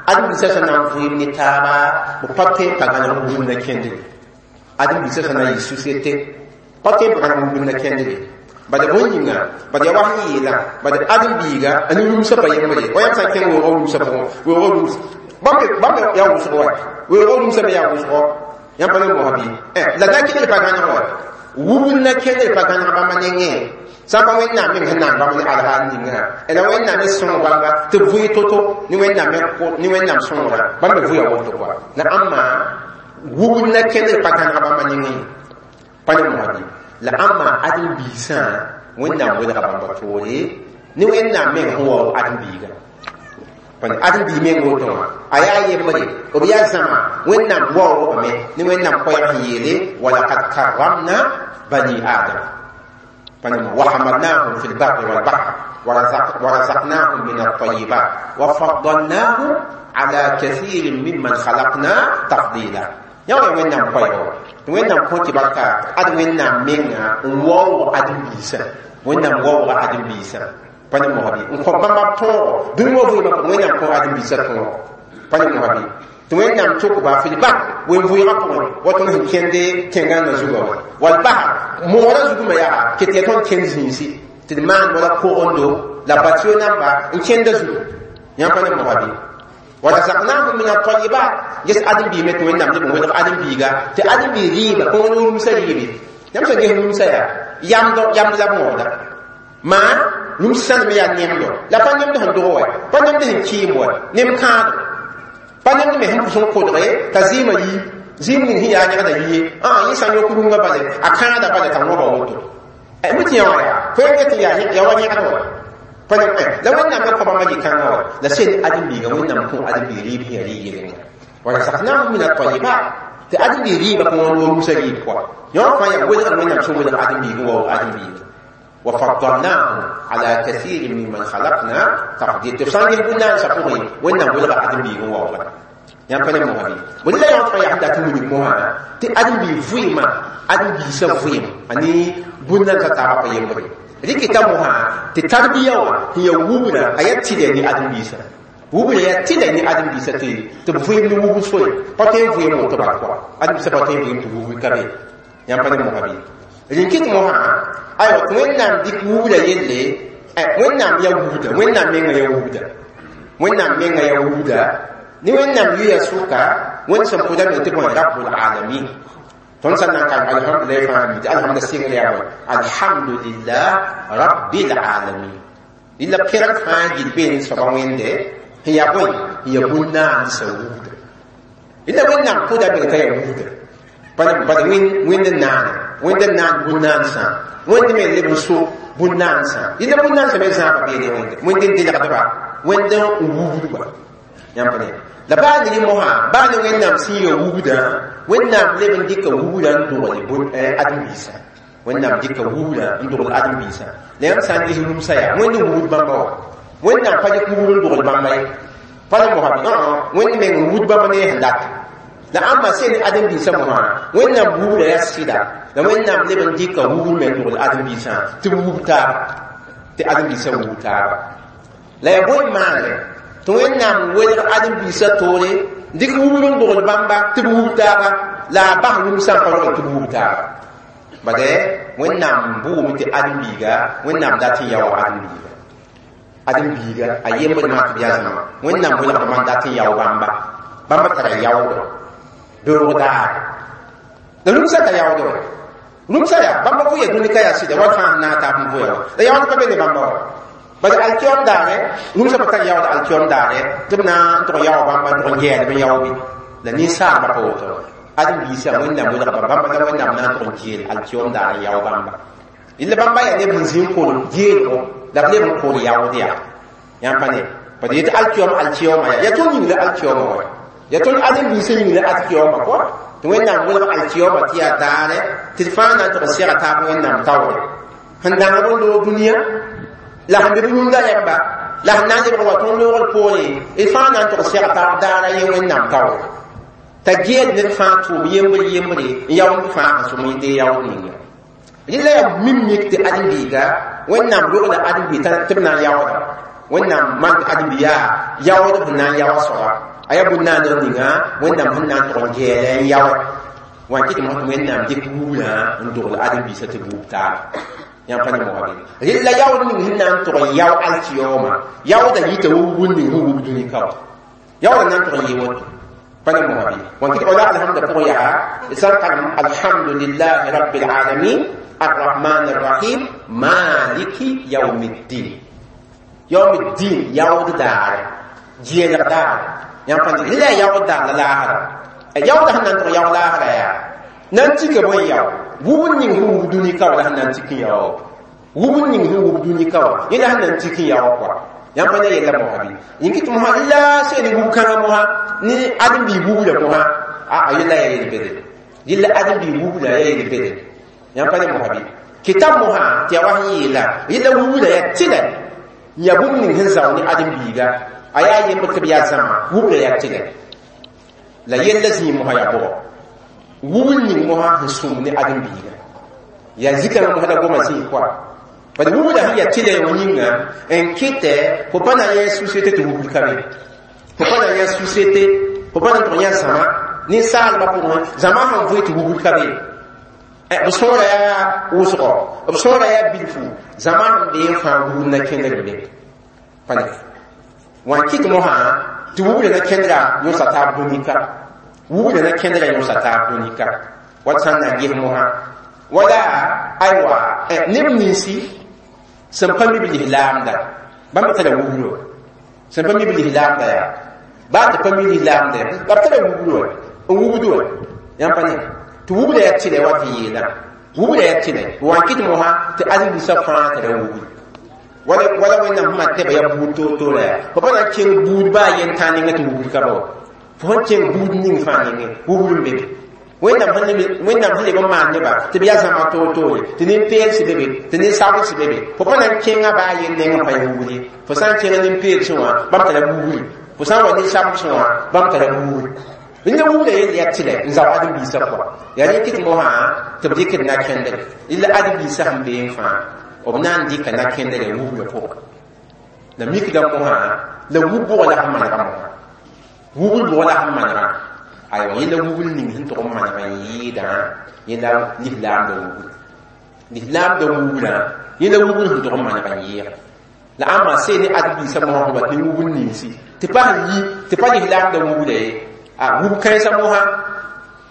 ãdem-biisã sẽn na n vɩɩm ne taaba b pa tõe n pa gãneg wubr na kẽndre ãdem-biisã sẽn na n yɩ société pa tõe n pa gãneg wubr na kẽndre bala bõe yĩnga bad yaa wa sẽn yeela bad ãdem-biiga a ne rũmsã pa yembre wa yãmb sã n kẽng weoogã rũmsã pʋgẽ weoogã rũms bãmb bãmb yaa wʋsg wa weoogã rũmsã me yaa wʋsgɔ yãmb pa ne mosã bɩ la na kẽndr pa gãneg wa wubr na kẽndr pa gãneg bãmba nengẽ sã n pa wẽnnaam meng sẽn naan bãmb ne alhaal ninga la wẽnnaam me sõng bãmba tɩ b vʋɩ to-to ne wẽnnaam ne wẽnnaam sõngra bãmb me vʋya woto kɔa la ãmba wubr na kẽndr pa gãneg bãmba nengẽ pa ne mosã bɩ la ãmba ãdem-biisã wẽnnaam welga bãmba toore ne wẽnnaam meng sẽn waoog ãdem-biigã Pan adem bi meng woto wã a yaa yembre b yaa zãma Wẽnnaam waoogame ne Wẽnnaam koɛɛg sẽn yeele walakad karramna bani Adam وحملناهم في البر والبحر ورزقناهم من الطيبات وفضلناهم على كثير ممن خلقنا تفضيلا. يا وين نام قيو وين نام كنت بركة أد وين نام منا واو أدم بيسا وين نام واو أدم بيسا بنا مهبي نكون بام تو دون واو وين نام كون أدم بيسا تو بنا مهبي وين نام توك با في البحر وين فوي رابون وتون هن كندي تنغان زوغا والبحر مورا زوغ ما يا كتي تون كنزينسي تدمان ولا كوروندو لا باتيو نامبا ان كند زوغ يا بنا مهبي ورزقناهم من الطيبات جس ادم بي مت وين نام دي وين ادم بيغا تي ادم بي ريبا كون نوم سريبي يام سا جه نوم سا يام دو يام لا مودا ما نوم سان مي يا نيم دو لا با نيم دو هن دو wa pa نيم دو هن كيم wa نيم كاد pa نيم دو me hẽn pʋsẽ kodge t'a zɩɩmã yi zɩɩm ning sẽn yaa yẽgda yie ã yẽ sã n yõk rũngã bale a kãada bale t'a wõba woto mi tɩ yã wã yaa fo yẽ tɩ yaa wa yẽgd wa la Wẽnnaam me kõ bãmba yɩ-kãngã wa la sel ãdem-biigã Wẽnnaam kõ ãdem-biig rɩɩb sẽn yaa rɩ-yelengã warazaqnahum min at-tayyibat tɩ ãdem-biig rɩɩbã kõ wã rũmsa rɩɩb pʋga yõ fãa yaa welgd Wẽnnaam sẽn welg ãdem-biig n waoog ãdem-biigã وفضلناهم على كثير ممن خلقنا تفضيلا tɩ b sã n ges bũn-naandsã pʋgẽ Wẽnnaam welga ãdem-biig n waooga yãmb pa ne mosã bɩ bõe la yõ fãa yaa sẽn dat n wilg mosã tɩ ãdem-biig vɩɩmã ãdem-biisã vɩɩm a ne bũn-nansã taabã pa yembre rɩkɩta mosã tɩ tarbiya wã sẽn yaa wubra a yaa tɩlɛ ne ãdem-biisã wubra yaa tɩlɛ ne ãdem-biisã tɩ tɩ b vɩɩm ne wubr soe pa tõe n vɩɩm woto bal kɔa ãdem-biisã pa tõe n vɩɩm tɩ wubr ka be yãmb pa ne mosã bɩ rĩnkɩt mosã aywa tɩ Wẽnnaam dɩk wubra yelle Wẽnnaam yaa wubda Wẽnnaam mengã yaa wubda Wẽnnaam mengã yaa wubda ne Wẽnnaam yuya sʋka Wẽnd sẽn pʋda me tɩ bõe rabbul alamin tõnd sã n na n karem alhamdulillah fãa mi tɩ alhamda sɩngr yaa bõe alhamdulillah rabbil alamin rɩla pẽrg fãa gil bee ne soaba Wẽnde sẽn yaa bõe sẽn yaa bũn-naandsã wubda rɩla Wẽnnaam pʋda me t'a yaa wubda bad Wẽnd n naane Wẽnd n naan bũn-naansã Wẽnd me leb n so bũn-naansã rɩla bũn-naansã me zãaba bee ne Wẽnde Wẽnd n delgdba Wẽnd n wubdba yãmb pa ne la baa ne rẽ mosã baa ne Wẽnnaam sẽn ya wubdã Wẽnnaam leb n dɩka wubdã n dogl ãdem-biisã Wẽnnaam dɩka wubdã n dogl ãdem-biisã la yãmb sã n ges rũmsã yaa Wẽnd n wubd bãmba wa Wẽnnaam pa dɩk wubd n dogl bãmba ye pa ne mosã bɩ Wẽnd meng n wubd bãmba ne sẽn dat la ãmba sẽn ne ãdem-biisã mosã Wẽnnaam wubdã yaa sɩda la Wẽnnaam leb n dɩka wubd me n dogl ãdem-biisã tɩ b wub taaba tɩ ãdem-biisã wub taaba la yaa bõe maane tɩ Wẽnnaam welg ãdem-biisã toore dɩk wubd n dogl bãmba tɩ b wub taaba la a bas rũmsã n pa rogl tɩ b wub taaba bade Wẽnnaam bʋʋme tɩ ãdem-biiga Wẽnnaam dat n yao ãdem-biiga ãdem-biiga a yembd maa tɩ b yaa zãma Wẽnnaam welgdã man dat n yao bãmba bãmba tara yaoodɔ beoog daar la rũmsã ka yaoodɔ wɛ rũmsã yaa bãmba vʋya dũni ka yaa sɩda wat fãa sẽn na n taab n vʋya wa la yaood pa be ne bãmba wa bala alkiyom daare rũmsã pa tar yaood alkiyom daare tɩ b na n tʋg yao bãmba n tʋg n gɛɛdb n yao bɩ la ninsaalbã pa woto ãdem-biisã Wẽnnaam welgba bãmba la Wẽnnaam na n tʋg n geel alkiyom daar n yao bãmba rɩla bãmba yaa neb sẽn zĩ n kol geelgo la b leb n kol yaood yaa yãmb pa ne bad yetɩ alkiyom alkiyoma yaa yaa tõnd yĩng la alkiyoma wa yaa tõnd ãdem-biisã yĩng la alkiyoma kɔa tɩ Wẽnnaam welg alkiyoma tɩ yaa daare tɩ d fãa na n tʋg n sega taab Wẽnnaam taoore sẽn dãng b n loog dũniyã la sẽn be b yũnda yãmba la sẽn na n lebg wa tõnd loogr poorẽ d fãa na n tʋg n seg taab daara yẽ Wẽnnaam taoore t'a geel ned fãa tʋʋm yembre yembre n yaoond fãa sẽn sõm yẽ yaood ninga rɩla yaa mim mik tɩ ãdem-biiga Wẽnnaam rogla ãdem-biig tɩ b na n yaooda Wẽnnaam maan tɩ ãdem-biig yaa yaood sẽn na n yaoa soaba a yaa bũn-naandg ninga Wẽnnaam sẽn na n tʋg n geela n yaoe wã kɩ tɩ mosã tɩ Wẽnnaam dɩk wubdã n dogl ãdem-biisã tɩ b wub taaba yãmb pa ne mosã bɩ rɩla yaood ning sẽn na n tʋg n yao alkiyoma yaooda yita wa wubd ning sẽn wub dũni ka wa yaooda na n tʋg n yɩ woto pa ne mosã bɩ wã kɩ tɩ wala alhamda pʋgẽ yaa d sã n karem alhamdulillahi rabbil alamin arrahman arrahim maliki yaumiddin yaumiddin yaood daare geelg daare yãmb pa ne rɩla yaa yaood daar la laasra yaooda sẽn na n tʋg yao laasra yaa na n tika bõe yao wubd ning sẽn wub dũni ka wa la sẽn na n tik n yao wubd ning sẽn wub dũni ka wa yẽ la sẽn na n tik n yao kɔa Yãmb pa ne yella mosã bɩ yĩng tɩ mosã la sẽn ne wub kãngã mosã ne ãdem-biig wubla mosã a yella yaa yel-bede yella ãdem-biig wubla yaa yel-bede yãmb pa ne mosã bɩ kɩtab mosã tɩ yaa wa sẽn yeela yella wubla yaa tɩlɛ n yaa bũmb ning sẽn zao ne ãdem-biiga a yaa yembr tɩ b yaa zãma wubla yaa tɩlɛ la yella zĩig mosã yaa bʋgɔ wubl ning mosã sẽn sũm ne ãdem-biiga yaa zikãngã mosã la goma zĩig pʋa bad wubla sẽn yaa tɩlɛ wã yĩnga n kɩtɛ fo pa na yẽ société tɩ wubl ka be fo pa na yẽ société fo pa na n tʋg yã zãma ninsaalbã pʋgẽ zãma sẽn vʋɩ tɩ wubl ka be b sõora yaa wʋsgɔ b sõora yaa bilfu zãma sẽn bee n fãa wubl na kẽndr be pa ne wã n kɩt mosã tɩ wubla na kẽndra yõsa taab dũnika wubla na kẽndra yõsa taab dũnika wat sã n na n ges mosã wala aywa neb ninsi sẽn pa mi b lislaamda bãmb tara wublo sẽn pa mi b lislaamda yaa baa tɩ pa mi lislaamda b tara wublo n wubd wa yãmb pa ne tɩ wubla yaa tɩlɛ wa tɩ yeela wubla yaa tɩlɛ wa n kɩt mosã tɩ ãdem-biisã fãa tara wubl wala wala wẽnnaam sẽn maan tɛba yaa buud toor-toora yaa fo pa na n kẽng buud baa yen tãa nengẽ tɩ wubl ka ba wa fo sẽn kẽng buud ning fãa nengẽ wubl n be be wẽnnaam sẽn leb n maan neba tɩ b yaa zãma toor-toore tɩ nin-peels be be tɩ nin-sabls be be fo pa na n kẽngã baa yen neng n pa yã wubl ye fo sã n kẽng nin-peelsẽ wã bãmb tara wubri fo sã n wa nin-sabsẽ wã bãmb tara wubri rẽnda wubla yell yaa tɩlɛ n zao ãdem-biisã pʋga yaa rẽ kɩt mosã tɩ b dɩkd na-kẽndre la ãdem-biisã sẽn bee n fãa b na n dɩka na-kẽndrã wubla pʋga la mikda mosã la wub bʋgã la sẽn manega mosã wubl bʋgã la sẽn manegã aywa yẽla wubl ning sẽn tʋg n maneg n yɩɩdã yẽla lislaamda wubl lislaamda wublã yẽla wubl sẽn tʋg n maneg n yɩɩga la ãmba see ne ãdem-biisã mosã sẽn wat ne wubl ninsi tɩ pa sẽn yi tɩ pa lislaamda wubla ye a wub kãensã mosã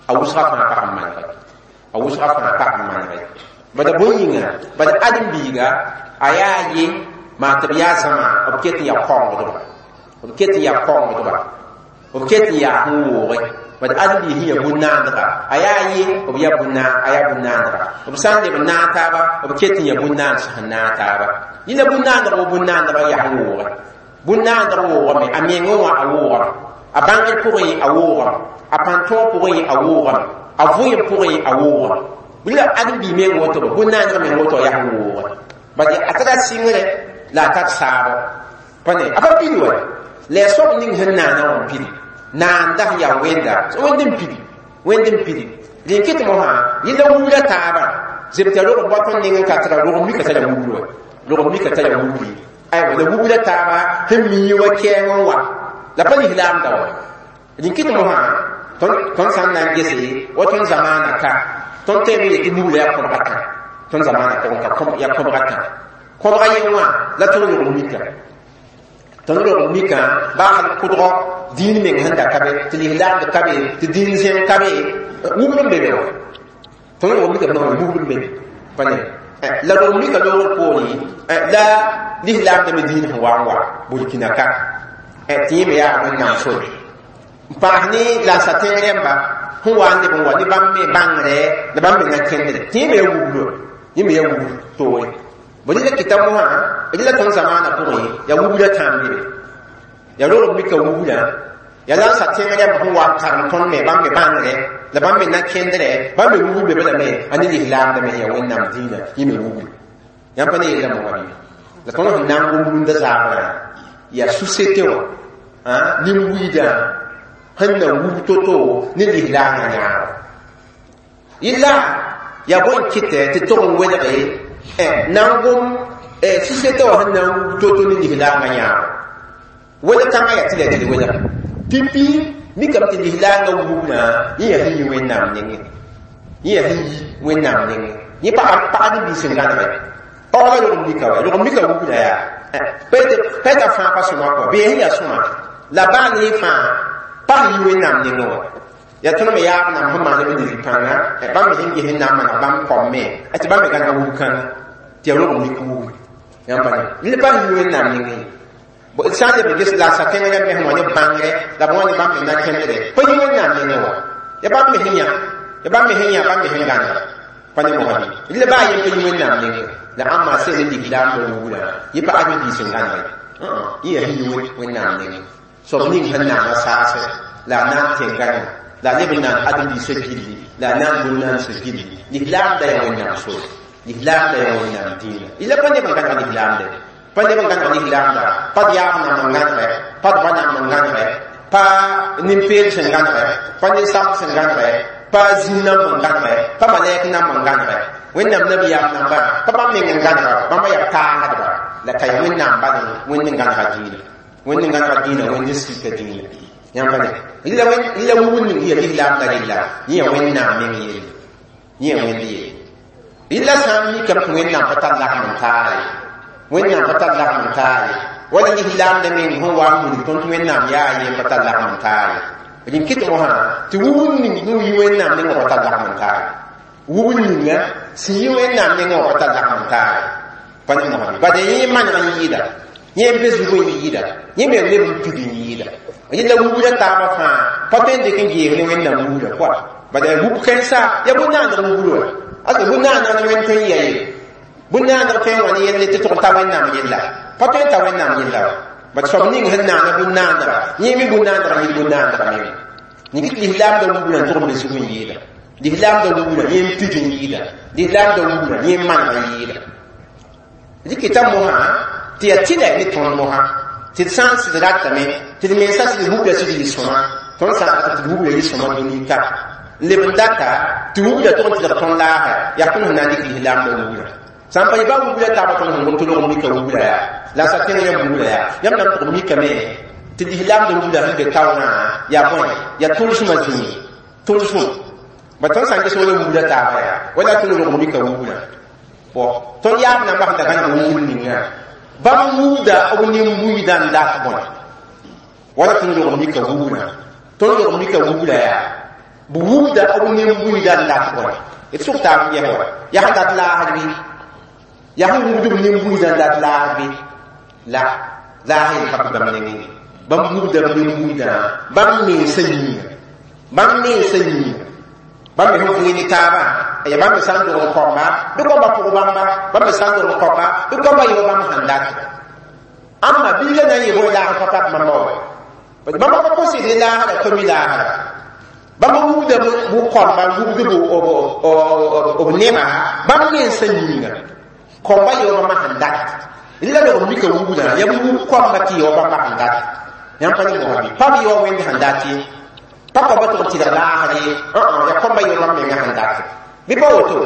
a wʋsga fãa pa sẽn manege a wʋsga fãa pa sẽn manege bada bõe yĩnga bad ãdem-biiga a yaa ye maa tɩ b yaa zãma b ket n yaa kaoongdba b ket n yaa kaoongdba b ket n yaa sẽn wooge bad ãdem-biig sẽn yaa bũn-naandga a yaa ye b yaa bũn a yaa bũn-naandga b sã n leb n naag taaba b ket n yaa bũn-naand sẽn naag taaba yẽla bũn-naandg wa bũn-naandga yaa sẽn wooge bũn-naandg woogame a mengẽ wã a woogame a bãngr pʋgẽ a woogame a pãn-tõog pʋgẽ a woogame a vʋɩem pʋgẽ a woogame la ãdem-biig meng woto bã bũn-naandg meng woto yaa sẽn wooge bad a tara sɩngre la a tar saabo pa ne a pa pid wa la yaa soab ning sẽn naana wã n pidi naanda sẽn yaa wẽnda wẽnd n pidi wẽnd n pidi rẽn kɩt mosã yella wubla taabã zeb tɩ rog n bao tõnd neng n ka tara rog mika tara wubl wa rog mika tara wubli aywa la wubla taaba sẽn mii wa kɛɛng n wa la pa lislaamda wa rẽn kɩt mosã tõnd sã n na n gese wa tõnd zamaana ka tõnd tõeme yetɩ wubla yaa kõbga tã tõnd zamaana pʋgẽ ka yaa kõbga tã kõbga yẽ wã la tõnd rog mika tõnd rog mika baa hal kʋdgɔ dĩin meng sẽn da ka be tɩ lislaamd ka be tɩ dĩin zẽng ka be wubl n be be wa tõnd rog mika wubl n be be pa ne la rog mika loogr poorẽ la lislaamda me dĩin sẽn wa n wa Burkina ka tɩ yẽ me yaa wẽnnaam sore n paas ne lansa tẽng rẽmba sẽn wa n leb n wa ne bãmb me bãngre la bãmb me na kẽndre tɩ yẽ me yaa wublo yẽ me yaa wubl toore bõ rɩla kɩta mosã rɩla tõnd zamaana pʋgẽ yaa wubla tãam be be yaa rog mika wubla yaa lansa tẽng rẽmb sẽn wa n karem tõnd me bãmb me bãngre la bãmb me na kẽndrɛ bãmb me wubl be balame a ne lislaamda me yaa wẽnnaam dĩinã yẽ me wubl yãmb pa ne yella mosã bɩ la tõnd sẽn na n gom rũndã zaabrã yaa société wã nin-buiidã sẽn na wub to-to ne lislaangã yãabo yella yaa bõe n kɩtɛ tɩ tog n welge na n gom société wã sẽn na n wub to-to ne lislaangã yãabo welg kãngã yaa tɩ la tɩ d welg pipi mikame tɩ lislaangã wubnã yẽ yaa sẽn yi wẽnnaam nengẽ yẽ yaa sẽn yi wẽnnaam nengẽ yẽ pagd-biis n gãnege paoogã rog mika wa rog mika wubna yaa pa t'a fãa pa sõma kɔa bee sẽn yaa sõma la baa ne fãa pa sẽn yi wẽnnaam nengẽ wã yaa tõnd me yaab nam sẽn maan b ned pãnga bãmb me sẽn ges n na n maneg bãmb kom me tɩ bãmb me gãnega wub kãnga tɩ yaa rog mik wubr yãmb pa ne pa sẽn yi wẽnnaam nengẽ ye sã n leb n ges la sa tẽng rãmb sẽn wa ne bãngre la b wa ne bãmb me na kẽndre pa yi wẽnnaam nengẽ wã ya bãmb me sẽn yã ya bãmb me sẽn yã bãmb me sẽn gãnega pa ne mosã bɩ la baa yen pa yi wẽnnaam nengẽ la ãmba sẽn ne lislaamda wubra yẽ pa ãdem-biis n gãnege yẽ yaa sẽn yi wẽnnaam nengẽ soab ning sẽn naana saasẽ la a na n tẽngame la a leb n naan ãdem-biisã gilli la a na n bũn-naansã gilli lislaamda yaa wẽnnaam sore lislaamda yaa wẽnnaam dĩinã ila pa neb n gãneg lislaamda pa neb n gãneg lislaamda pa d yaab nam n gãnegɛ pa d ba nam n gãnegɛ pa nin-peel sẽn gãnegɛ pa nin-samd sẽn gãnegɛ pa zĩn namb n gãnegɛ pa malɛk namb n gãnegɛ wẽnnaam nabiyaam nambã pa bãmb meng n gãnega bãmba yaa paasdba la ka yaa wẽnnaam bal wẽnd n gãnega dĩinã wẽnd n gãnega dĩinã wẽnd n sika dĩinã yãmb pa ne la wubd ning yaa lislaamda rella yẽ yaa wẽnnaam meng yelle yẽ yaa wẽnd yelle rɩla sã n mikame tɩ wẽnnaam pa tar lagm n taa ye wẽnnaam pa tar lagm n taa ye wala lislaamda meng sẽn wa n wilg tõnd tɩ wẽnnaam yaa ye pa tar lagm n taa ye rẽn kɩt mosã tɩ wubd ning sẽn yi wẽnnaam nengã pa tar lagm n taa ye wubd ninga sẽn yi wẽnnaam nengã pa tar lagm n taa ye pa ne mosã bad yẽ maneg n yɩɩda yẽ n be zug n yɩɩda yẽ me leb n pid n yɩɩda yẽla wubda taabã fãa pa tõe n dɩk n geeg ne wẽnnaam wubda koa bad yaa wub kãensa yaa bũn-naandg wubr wa ase bũn-naandg ne wẽnd tõe n ya ye bũn-naandg tõe n wa ne yelle tɩ tʋg n ta wẽnnaam yella pa tõe n ta wẽnnaam yella wa bad soab ning sẽn naana bũn-naandga yẽ me bũn-naandga yɩ bũn-naandga menga ningit lislaamda wubra n tʋg n be zug n yɩɩda lislaamda wubra yẽ n pid n yɩɩda lislaamda wubra yẽ n maneg n yɩɩda dɩkɩta mosã tɩ yaa tɩlɛ ne tõnd mosã tɩ d sã n sɩd ratame tɩ d mensa sɩd wubra sɩd yɩ sõma tõnd sã n rata tɩ d wubra yɩ sõma dũni ka n leb n data tɩ wubra tʋg n tɩlg tõnd laasã yaa tõnd sẽn na n dɩk lislaamda wubra sã n pa yɩ ba wubra taaba tõnd sẽn gom tɩ log mika wubra yaa la sa tẽng yãmb wubra yaa yãmb na n tʋg mikame tɩ lislaamda wubra sẽn be taoorã yaa bõe yaa tʋlsmã zĩig tʋlsem ba tõnd sã n ges wala wubra taaba yaa wala tõnd log mika wubra bon tõnd yaab nambã sẽn da gãneg wubr ninga bãmb wubda b nin-buiidã n dat bõe wala tõnd log mika wubra tõnd log mika wubra yaa b wubda b nin-buiidã n dat bõe d sʋk taab n ges wa yaa sẽn dat laasd bɩ yaa sẽn wubd b nin-buiidã n dat laasd bɩ la laas yel pa bãmb nengẽ ye bãmb wubda b nin-buiidã bãmb mensã yĩnga bãmb mensã yĩnga bãmb me sẽn vɩɩ ne taabã ya bãmb me sã n dog n kõmba bɩ kõmba pʋg bãmba bãmb me sã n dog n kõmba bɩ kõmba yɩ bãmb sẽn dat ãmba biiga na n yɩ bõe laag pa pak bãmba wa bãmba pa kos ne laasda tɩ mi laasda bãmb wubda b kõmba wubd b neba bãmb mensã yĩnga kõmba yɩ bãmba sẽn dat la log mika wubdã yaa b wub kõmba tɩ yao bãmba sẽn dat yãmb pa ne mosã bɩ pa b yao wẽnd sẽn dat ye pa kõmba tʋg n tɩlg laasd ye yaa kõmba yao bãmb menga sẽn dat bɩ pa woto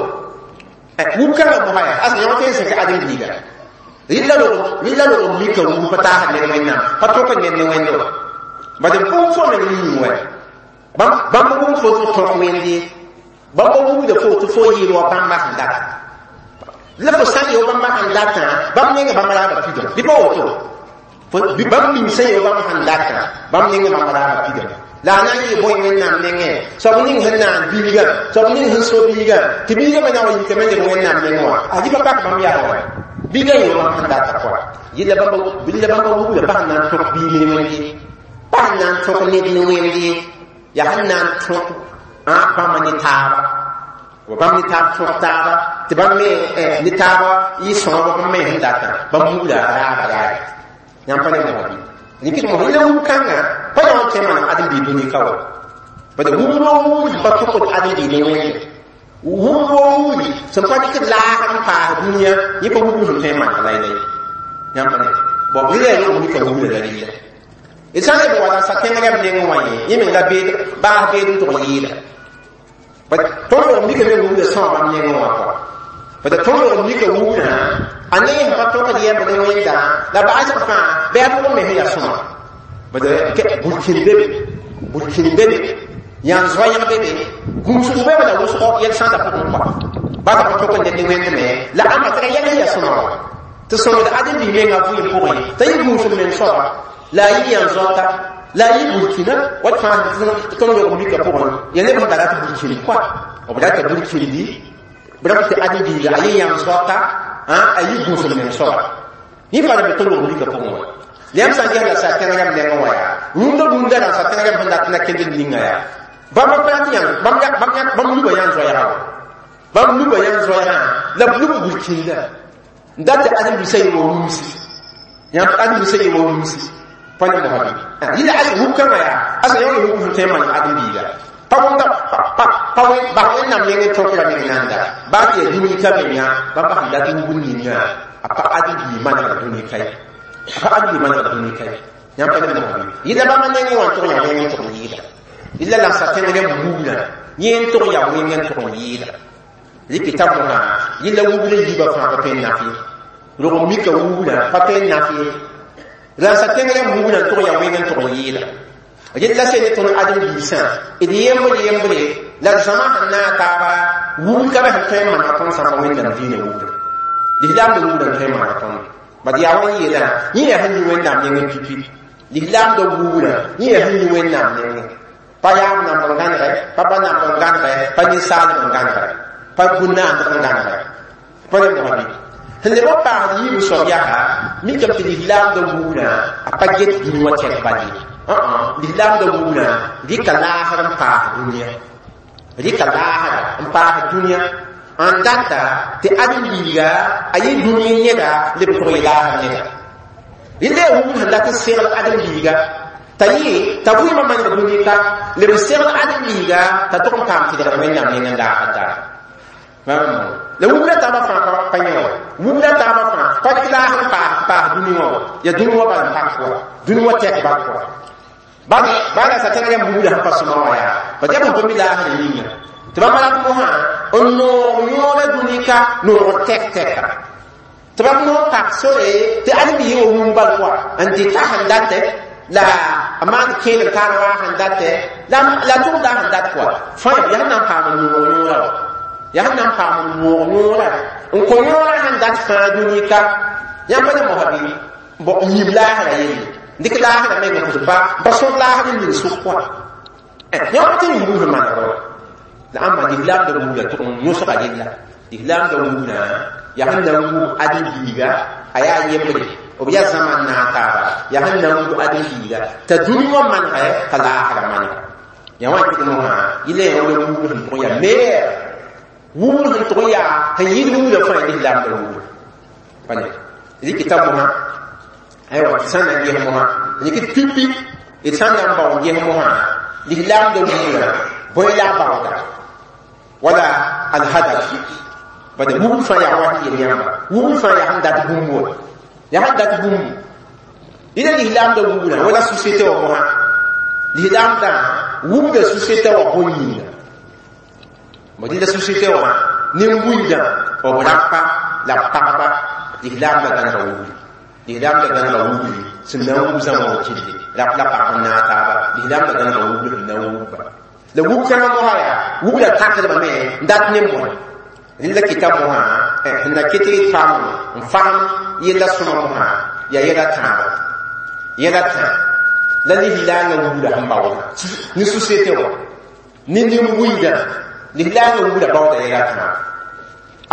wub kãngã mosã yaa as yõ tõe n sẽk ãdem-biiga rɩla log mika wub pa taasd ned wẽnnaam pa tõk ned ne wẽndo bad b bũmb fo meng yĩng wɛ bãmb wʋm fo tɩ tõk wẽnd ye bãmb wubda fo tɩ fo yɩɩl wa bãmba sẽn dat la fo sã n yao bãmba sẽn datã bãmb nenga bãmba raaba pidame bɩ pa woto bãmb ning sẽn yao bãmb sẽn datã bãmb nenga bãmba raaba pidame la a na n yɩ bõe wẽnnaam nengẽ soab ning sẽn naan bilgã soab ning sẽn so bilgã tɩ bilgã me na wa yikame leb wẽnnaam nengẽ wã a pa pak bãmb yaa wa bilgã yao bãmb sẽn data koa yɩla bãmba wubda pa sẽn na n tõk biig ne wẽnd ye pa sẽn na n tõk ned ne wẽnd ye yaa sẽn na n tõk bãmba ne taaba bãmb ne taab tõk taaba tɩ bãmb me ne taaba yɩ sõob bãmb me sẽn datã bãmb wubda raaba yaa yãmb pa ne mosã bɩ rɩkɩt mosã yẽla wub kãngã pa yã tõe n maneg ãdem-biig dũni ka wa bad wubd wa wubd pa tʋkd ãdem-biig ne wẽnde wubd wa wubdi sẽn pa dɩkd laag n paas dũniyã yẽ pa wubd sẽn tõe n maneg laylay yãmb pa ne bon rɩla yaa log mika wubda la rɩla d sã n leb n wa la sa-tẽng rɛb nengẽ wã ye yẽ meng la beed baas beed n tʋg yɩɩda bad tõnd log mika me wubda sõa bãmb nengẽ wã koa bad tõnd log mika wubdã a neng sẽn pa tõkd yɛmb ne wẽnda la ba'asg fãa bɩ a pʋgẽ me sẽn yaa sõma bad burkin bebe burkin bebe yãn zoɛɛg bebe gũusg bebe la wʋsgo yɛl sãada pʋgẽ koa basa pa tõk n ned ne wẽnd me la ãmba tɩ ra yɛl sẽn yaa sõma wa tɩ sõmd ãdem-biig menga vɩɩm pʋgẽ t'a yɩ gũusg meng soaba la a yɩ yãn zoata la a yɩ burkina wat fãa tõnd log mika pʋgẽ ya neb sẽn da rat burkin koa b rata burkindi b rat tɩ ãdem-biiga a yɩ yãn zoata a yɩ gũusg meng soaba yẽ pa be tõnd log mika pʋgẽ wa yãmb sã n ges la sa-tẽng rãmb nengẽ wã yaa rũndã rũndã rãn sa-tẽng rãmb sẽn dat na kend d ninga yaa bãmb pa rat yãn bãmb luba yãn zoɛɛga wa bãmb luba yãn zoɛɛgã la b lub burkinda n dat tɩ ãdem-biisã yɩ wa rũmsi Yãmb ãdem-biisã yɩ wa wumsi pa ne mosã bɩ yɩla ad wub kãngã yaa asa yã wub sẽn tõe n maan ãdem-biiga pa wʋmda pa bas wẽnnaam nengẽ tõkra meng nanda baa tɩ yaa dũni ka mengã bãmb sẽn dat wubd ninga a pa ãdem-biig manegd dũni ka ye a pa ãdem-biig manegd dũni ka ye yãmb pa ne mosã bɩ yɩla bãmba nengẽ wã n tʋg yaa wẽng n tʋg n yɩɩda yɩla la sa tẽng rẽmb wubdã yẽ n tʋg yaa wẽng n tʋg n yɩɩda rɩkɩta mosã yɩla wubd n yiibã fãa pa tõe n naf ye rog mika wubdã pa tõe n naf ye la sa tẽng rẽmb wubdã n tʋg yaa wẽng n tʋg n yɩɩda rel la sẽn ne tõnd ãdem-biisã d yembre yembre la d zãma sẽn naag taaba wubd ka be sẽn tõe n maneg tõnd sã pa wẽnnaam diinã wubdã lislaamdã wubdã n tõe n maneg tõnd bad yaa wa n yeelã yẽ yaa sẽn yi wẽnnaam nengẽ pipi lislaamdã wubdã yẽ yaa sẽn yi wẽnnaam nengẽ pa yaab namb n gãnegɛ pa ba namb n gãnegɛ pa ninsaalb n gãnegɛ pa bũn-naandg n gãnegɛ pa ne mosã bɩ sẽn leb n paasd yiib soab yaa mikame tɩ lislaamdã wubdã a pa get dũni wã tɛk bal ye lislaamdã wubdã rɩka laasr n paas dũniyã rɩka laasra n paas dũniyã n data tɩ ãdem-biiga a yɩ dũni neda leb n tʋg yɩ laasr neda rɩla yaa wubd sẽn dat n segl ãdem-biiga t'a yɩ t'a vɩɩmã maneg dũni ka leb n segl ãdem-biiga t'a tʋg n paam tɩdgr wẽnnaam neng n laasr daara la wubda taaba fãa pa yẽ wa wubda taaba fãa pa tɩ laas n paas paas dũni wã wa yaa dũni wã bal n pak wa dũni wã tɛk bal pʋga baa la sa tẽng rẽmb wubda sẽn pa sõma wã yaa bad yaa bõn pa mi laasrã yĩnga tɩ bãmb rat mosã n noog yõoda dũni ka noogr tɛk tɛka tɩ bãmb noog pak sore tɩ ãdem-biigã wa wum bal pʋga n dɩta sẽn datɛ la a maan kẽedr kaan waa sẽn datɛ la tʋgda sẽn dat pʋga fãa yaa sẽn na n paam n noog yõoda wa yaa sẽn na n paam n noog yõoda n kõ yõoda sẽn dat fãa dũni ka yãmb pa ne mosã bɩ n yib laasrã yelle dɩk laasrã meng n pa pa sõd laasr n ning sʋk pʋga yãmb tɩ n wubd sẽn manegr wa la ãmba lislaamdã wubda tʋg n yõsga rella lislaamdã wubdã yaa sẽn na n wub ãdem-biiga a yaa yembre b yaa zãma n naag taaba yaa sẽn na n wub ãdem-biiga t'a dũni wã manegɛ t'a laasrã manega yaa wã kɩt mosã yɩla yaa wala wubd sẽn tʋg n yaa meilleur wubd sẽn tʋg n yaa sẽn yɩɩd wubdã fãa lislaamdã wubda pa ne rɩkɩta mosã aywa tɩ sã n na n ges mosã rɩk pipi d sã n na n bao n ges mosã lislaamdã wubdã bõe la a baooda wala alhadaf bad wubd fãa yaa wa sẽn yel yãmba wubd fãa yaa sẽn dat bũmb wã yaa sẽn dat bũmbu dɩla lislaamdã wubdã wala société wã mosã lislaamdã wubda société wã bõe yĩnga bõ dɩla société wã nin-buiidã b rapa la b pagba lislaamdã gãnega wubdi lislaamdã gãnega wubdi sẽn na n wub zãma wã kille rap la pag n naag taaba lislaamdã gãnega wubdi sẽn na n wubba la wub kãngã mosã yaa wubda takdbame n dat ne bõe rẽnda kɩta mosã sẽn na ket d paam n fasem yella sõma mosã yaa yɛla tãaba yɛla tã la lislaangã wubda sẽn baooda ne société wã ne nin-buiidã lislaangã wubda baooda yɛla tãaba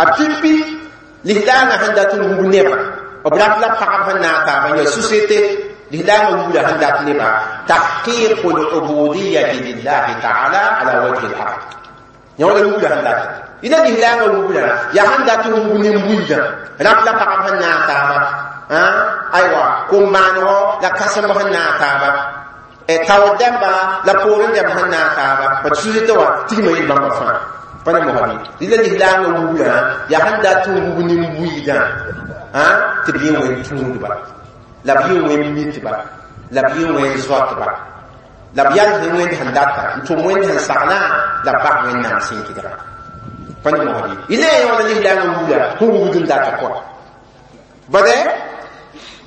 a pipi lislaangã sẽn dat n wub nebã b rap la pagb sẽn naag taaba n yaa société lislaangã wubda sẽn dat nebã tahqiqu lubudiyati lillahi taala ala wajhi l ard yã wala wubda sẽn dat yɩla lislaangã wubdã yaa sẽn dat n wub nin-buiidã rap la pagb sẽn naag taaba aywa kom-maanego la kãsemb sẽn naag taaba taoor dãmba la poorẽ dãmb sẽn naag taaba pa société wã tigma yel bãmba fãa pa ne mosã bɩ rɩla lislaangã wubdã yaa sẽn dat n wub nin-buiidã tɩ b yẽ wẽn tũudba la b yẽ wẽn mitba la b yẽ wẽn zoatba la b yal sẽn wẽnd sẽn data n tʋm wẽnd sẽn saglã la b bas wẽnnaam sẽn kɩdga pa ne mosã bɩ yɩla yẽ wãna lislaangã wubda sẽn wubd n data kɔa bade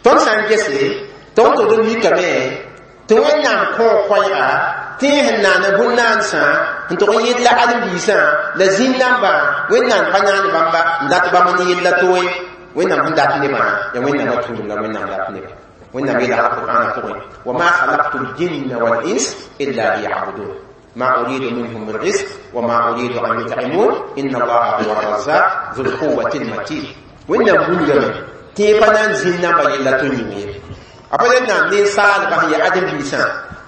tõnd sã n gese tõnd tʋgd n mikame tɩ wẽnnaam kõo koɛɛga tɩ sẽn naana bũn-naansã n tʋg n yɩl la ãdem-biisã la zĩn-nambã wẽnnaam pa naan bãmba n dat bãmb n yella to ye wẽnnaam sẽn dat nebã yaa wẽnnaamã tũudum la wẽnnaam dat neba wẽnnaam yeela alqur'ana pʋgẽ wa ma khalaqtu ljinna wal-ins illa liya'budun ما أريد منهم من رزق وما أريد أن يطعمون إن الله هو الرزاق ذو القوة المتين وإن بولغم tɩ pa na n zĩn namba yella tɩ yĩng ye a pa le naam ninsaalbã sẽn yaa ãdem-biisã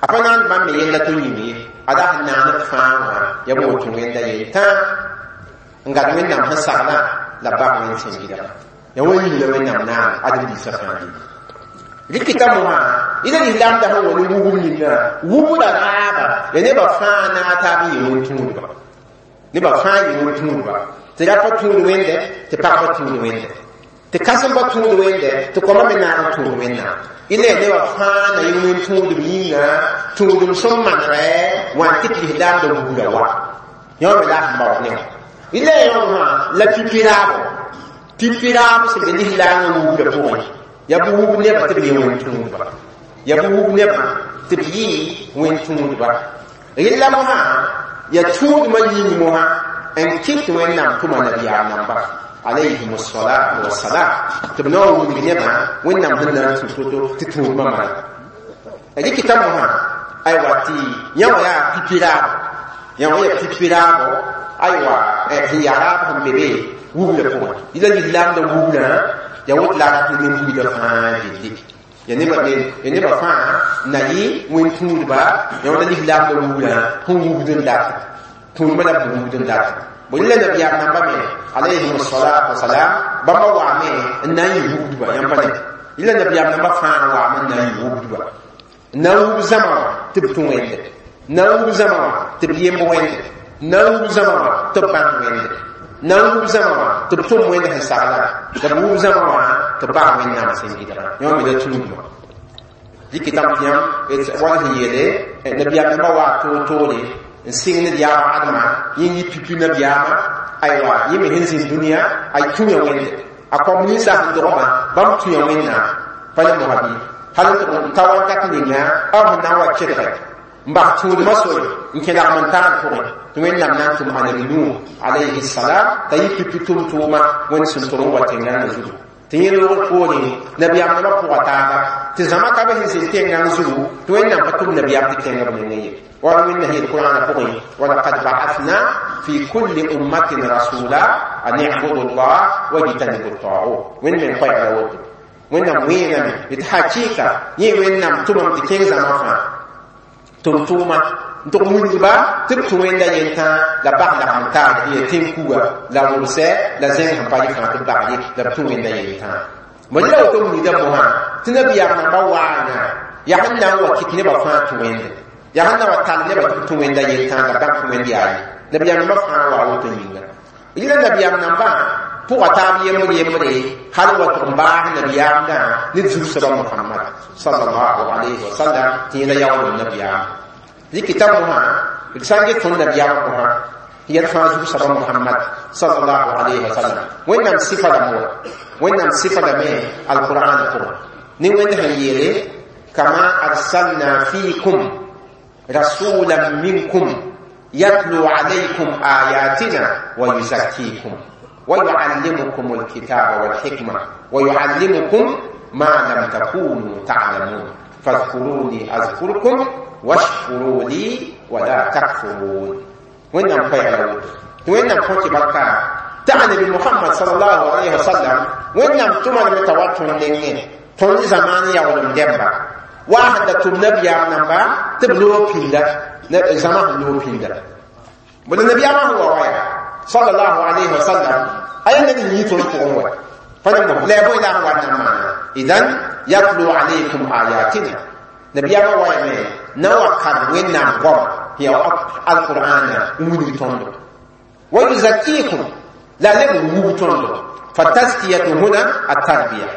a pa na n bãmb me yella tɩ yĩng ye ada sẽn naand fãa wã yaa bõe tũ wẽnda yel tã n gad wẽnnaam sẽn saglã la b bas wẽnd sẽn gɩdga yaa wã yĩng la wẽnnaam naan ãdem-biisã fãa dĩnã Rikita moã ila lislaamda sẽn wa ne wugr ninga wubda raaba ya nebã fãa naag taab n yɩ wẽn-tũudba nebã fãa yɩ wẽn-tũudba tɩ rapa tũud wẽnde tɩ pagba tũud wẽnde tɩ kãsembã tũud wẽnde tɩ kõma me naag n tũud wẽnnaam ila ya nebã fãa na yɩ wẽn-tũudb yĩnga tũudem sẽn manegɛ wã n kɩt lislaamda wugda wa yõ me la sẽn baood ne wã ila ya yõ la pipi raabo pipi raab sẽn be lislaangã wugda pʋgẽ ya bɩ wub nebã tɩ b yɩ wẽn-tũudba ya bɩ wub nebã tɩ b yɩ wẽn-tũudba rella mosã ya tũudmã yĩng mosã n kɩt wẽnnaam tʋma nabiyaam namba alayhim salatu wassalam tɩ b na wa wilg nebã wẽnnaam sẽn na n tũ to-to tɩ tũudmã manega rɩkɩta mosã aywa tɩ yã wã yaa pipi raabo yã wã yaa pipi raabo aywa sẽn yaa raab sẽn be be wugla pʋgẽ yɩla lislaamda wuglã ya wot la rat ne buida fãa gilli ya nebã ya nebã fãa na yɩ wẽn-tũudba ya wãna lislaamda wuglã sẽn wugd n dat tũudmã la b wugd n dat bõe la nabiyaam namba me alayhim salatu wasalam bãmba waame n na n yɩ wugdba yãmb pa ne yɩla nabiyaam namba fãa waame n na n yɩ wugdba n na n wug zãma wã tɩ b tũ wẽnde n na n wug zãma wã tɩ b yemb wẽnde n na n wug zãma wã tɩ b bãng wẽnde na n wub zãma wã tɩ b tʋm wẽnd sẽn sagla la b wub zãma wã tɩ b bas wẽnnaam sẽn gɩdgã yõ me la tũudmã dɩkɩtame tɩ yãmb wala sẽn yeele nabiyaam nambã waa toor-toore n sɩng ned yaab adma yẽ yɩ pipi nabiyaamã aywa yẽ me sẽn zĩnd dũniyã a tũya wẽnde a kõm ninsã sẽn dogmã bãmb tũya wẽnnaam pa ne mosa bɩ hal n ta wakat ninga b sẽn na n wa kelge n bas tũudmã sore n kẽ lagm n taal pʋgẽ tɩ wẽnnaam na n tʋm anabi nuh alayhi salam t'a yɩ pipi tʋm-tʋʋma wẽnd sẽn tʋm n wa tẽngãngã zugu tɩ yẽ loogr poorẽ nabiyaam nambã pʋga taaba tɩ zãma ka be sẽn zĩnd tẽngãng zugu tɩ wẽnnaam pa tʋm nabiyaam tɩ kẽng b nengẽ ye wala wẽnna yeel qur'ana pʋgẽ walaqad ba'athna fi kulli ummatin rasula an i'budu llah wajtanibu tagut wẽnd me n koɛɛgla woto wẽnnaam wẽename tɩ hakɩɩka yẽ wẽnnaam tʋmame tɩ kẽng zãma fãa tʋm-tʋʋma n tʋg wilgba tɩ b tũ wẽnda yentã la bas lagm taar ya tẽn-kuga la wʋlsɛ la zẽng sẽn pa yɩ fãa tɩ b bag ye la b tũ wẽnda yentã bõe la woto wilgda mosã tɩ nabiyaam namba waana yaa sẽn na n wa kɩt nebã fãa tũ wẽnde yaa sẽn na wa tall nebã tɩ b tũ wẽnda yentã la bãmb tũ wẽnd yaa ye nabiyaam namba fãa wa woto yĩnga yɩla nabiyaam nambã pʋga taab yembr yembre hal wa tʋg n baas nabiyaamdã ne zu-soaba Muhammad sallallahu alayhi wa sallam tɩ yẽla yaoolem nabiyaam rɩkɩta mosã d sã n get tõnd nabiyaamã mosã tɩ yɛl fãa zu-soaba Muhammad sallallahu alayhi wa sallam wẽnnaam sɩfa lame wa wẽnnaam sɩfa lame alqur'an pʋgẽ ne wẽnd sẽn yeele kama arsalna fiikum rasulan minkum yatlu alaykum ayatina wa yuzakkikum ويعلمكم الكتاب والحكمة ويعلمكم ما لم تكونوا تعلمون فاذكروني أذكركم واشكروا لي ولا تكفرون وين نم وين نم بركة تعني بمحمد صلى الله عليه وسلم وين نم تمر متواتر نيني تون زمان يا ولم دمبا واحد تم نبي نمبا تبلو بيندا زمان لو بيندا بل النبي ما هو وايا صلى الله عليه وسلم أي الذي يتون قوة فنمو لا بد أن ونما إذن يتلو عليكم آياتنا نبي ما وايا نوى كان وين نعم هي القرآن وين ويزكيكم لا لم وبتوندو فالتزكية هنا التربية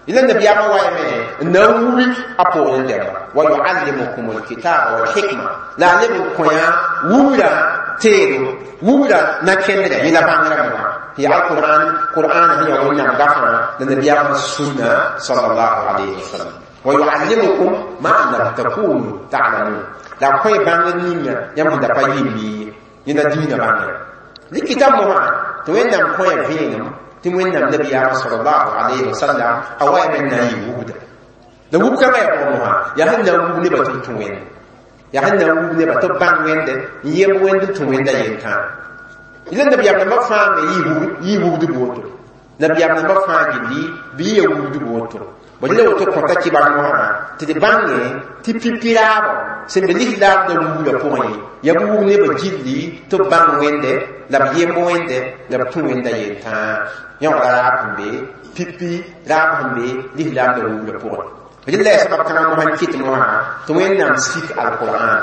إذا النبي ما وايا نووي أبو عندما ويعلمكم الكتاب والحكمة لا لم كويا ولا تيرو ولا نكندر إلى بانغرا هي القرآن قرآن هي ونعم غفرة للنبي السنة صلى الله عليه وسلم ويعلمكم ما لم تكونوا تعلمون لا كوي بانغ نينا يم دا با يمي ينا دينا بانغ لكتاب مها توين نام كوي فينم تموين نام نبي صلى الله عليه وسلم أواي من ناي وبدا la wub kãngã yaa pʋgẽ mosã yaa sẽn na n wub nebã tɩ b tũ wẽnde yaa sẽn na n wub nebã tɩ b bãng wẽnde n yem wẽnd n tũ wẽnda yentãa yɩla nabiyaam nambã fãa me yɩ wubdb woto nabiyaam nambã fãa gilli bɩ yɩ ya wubdb woto bõe la woto kõta kɩbar mosã tɩ d bãnge tɩ pipi raabɔ sẽn be lislaamdã wugla pʋgẽ yaa b wub nebã gilli tɩ b bãng wẽnde la b yemb wẽnde la b tũ wẽnda yentãa yõgda raab sẽn be pipi raab sẽn be lislaamdã wugla pʋgẽ Rɩla yaa sabab kãngã mosã n kɩt mosã tɩ Wẽnnaam sik alqur'an.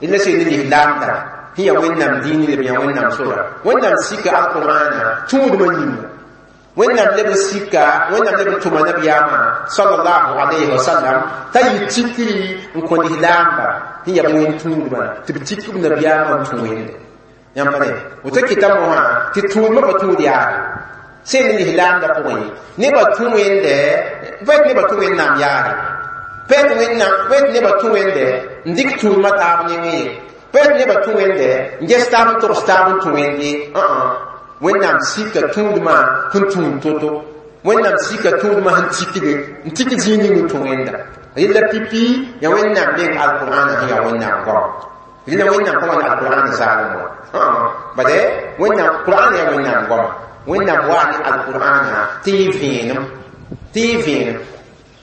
Rɩla sẽn ne lislaamda sẽn yaa Wẽnnaam dĩin leb yaa Wẽnnaam sora. Wẽnnaam sika alqur'ana tũudmã yĩnga. Wẽnnaam leb n sika, Wẽnnaam leb n tʋma nabiyaamã sallallahu alayhi wa sallam t'a yɩ tikri n kõ lislaamba sẽn yaa b wẽn tũudmã tɩ b tik b nabiyaamã n tũ Wẽnde. Yãmb pa ne woto kɩta mosã tɩ tũudmã pa tũud yaare. Sẽn ne lislaamda pʋgẽ nebã tũ Wẽnde, pa yet nebã tũ Wẽnnaam yaare, pa yet Wẽnnaam, pa yet nebã tũ Wẽnde n dɩk tũudmã taab nengẽ ye, pa yet nebã tũ Wẽnde n ges taab n togs taab n tũ Wẽnd ye. Wẽnnaam sika tũudmã sẽn tũud to-to, Wẽnnaam sika tũudmã sẽn tikde n tik zĩig ning n tũ Wẽnda. Rɩla pipi yaa Wẽnnaam meng alqur'ana sẽn yaa Wẽnnaam goam. Rɩla Wẽnnaam pa wãn alqur'an zaalem wã. Bade Wẽnnaam Qur'an yaa Wẽnnaam goama. Wẽnnaam waa ne alqur'ana tɩ yɩ vẽenem, tɩ yɩ vẽenem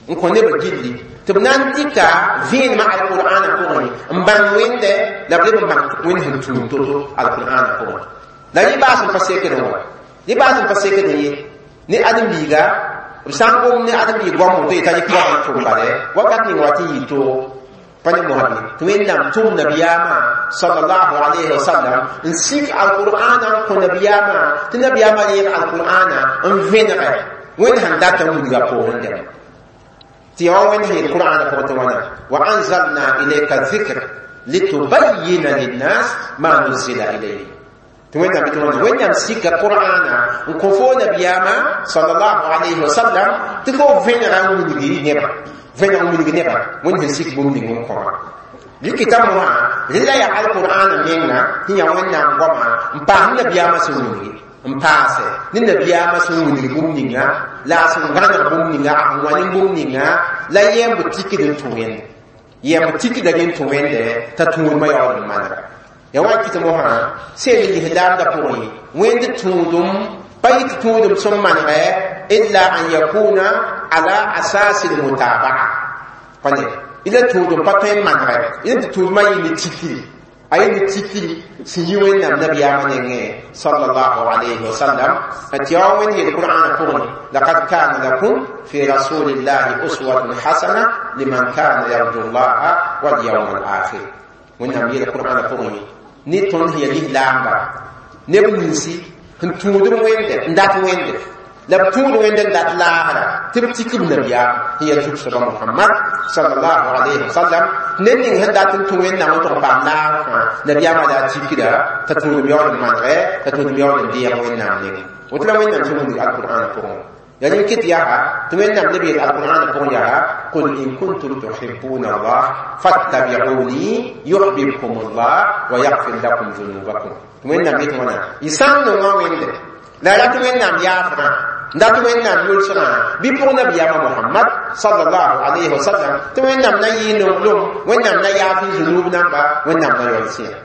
n kõ nebã gilli tɩ b na n dɩka vẽenemã alqur'ana pʋgẽ n bãng Wẽnde la b leb n bãng Wẽnd sẽn tũud to-to alqur'ana pʋgẽ. La yẽ baas n pa sekdẽ wã, yẽ baas n pa sekdẽ ye ne ãdem-biiga b sã n gom ne ãdem-biig goam woto yetã yɩ goam n tʋm bale wakat ning wa tɩ yɩ toogo pa ne mosã bɩ tɩ Wẽnnaam tʋm nabiyaamã sallallahu alayhi wa sallam n sik alqur'ana n kõ nabiyaamã tɩ nabiyaamã reeg alqur'ana n vẽnegɛ Wẽnd sẽn dat n wilga poorẽ dɛma tɩ yaa wa Wẽnd sẽn yel Qur'ana pʋgẽ tɩ wãna wa anzalna ilayka dhikr litubayyina linnas ma nuzila ilayhim. Tɩ Wẽnnaam tɩ wãna Wẽnnaam sika Qur'ana n kõ fo nabiyaamã sallallahu alayhi wa sallam tɩ fo vẽnega n wilgi nebã, vẽneg n wilg nebã Wẽnd sẽn sik bũmb ning n kõ wã. Rɩkɩta mosã rɩla yaa alqur'ana menga sẽn yaa Wẽnnaam goamã n paas ne nabiyaamã sẽn wilgi n paase ne nabiyaamã sẽn wilg bũmb ninga la a sẽn gãneg bũmb ninga a sẽn wa ne bũmb ninga la yɛmb tikd n tũ Wẽnde, yɛmb tikda rẽ n tũ Wẽnde t'a tũudmã yaool n manega. Ya wa kɩt mosã sẽn ne lislaamdã pʋgẽ Wẽnd tũudum pa yɩ tɩ tũudum sẽn manegɛ illa an yakuna ala asasi lmutabaa pa ne ila tũudum pa tõe n manegɛ ila tɩ tũudmã yɩ ne tikri, a yɩ ne tikri sẽn yi Wẽnnaam nabiyaamã nengẽ sallallahu alayhi wa sallam. Tɩ yaa wa Wẽnd yel Qur'ana pʋgẽ laqad kana lakum fi rasulillahi uswatun hasana liman kana yarju llaha walyawma alakhir. Wẽnnaam yel Qur'ana pʋgẽ ne tõnd sẽn yaa lislaamba neb ninsi sẽn tũud Wẽnde n dat Wẽnde la b tũud Wẽnde n dat laasra tɩ b tik b nabiyaam sẽn yaa zug-soaba Mohamad sallallahu alayhi wa sallam. Ned ning sẽn dat n tũ Wẽnnaam n tʋg n paam laasr fãa nabiyaamã la a tikda t'a tũudem yaool n manegɛ, t'a tũudem yaool n deeg Wẽnnaam nengẽ. Woto la Wẽnnaam sẽn wilg alqur'ana pʋgẽ. Ya rẽn kɩt yaa tɩ Wẽnnaam leb yel alqur'ana pʋgẽ yaa qul in kuntum tuhibbuna Allah fattabi'uni yuhbibkum Allah wa yaghfir lakum dhunubakum. Tɩ Wẽnnaam yet wãna y sã n nonga Wẽnde la rat Wẽnnaam yaafgã n dat Wẽnnaam yʋlsgã bɩ pʋg nabiyaamã Mohamad sallallahu alayhi wa sallam tɩ Wẽnnaam na yɩ nonglem, Wẽnnaam na yaaf y zunub namba, Wẽnnaam na yaool sẽa.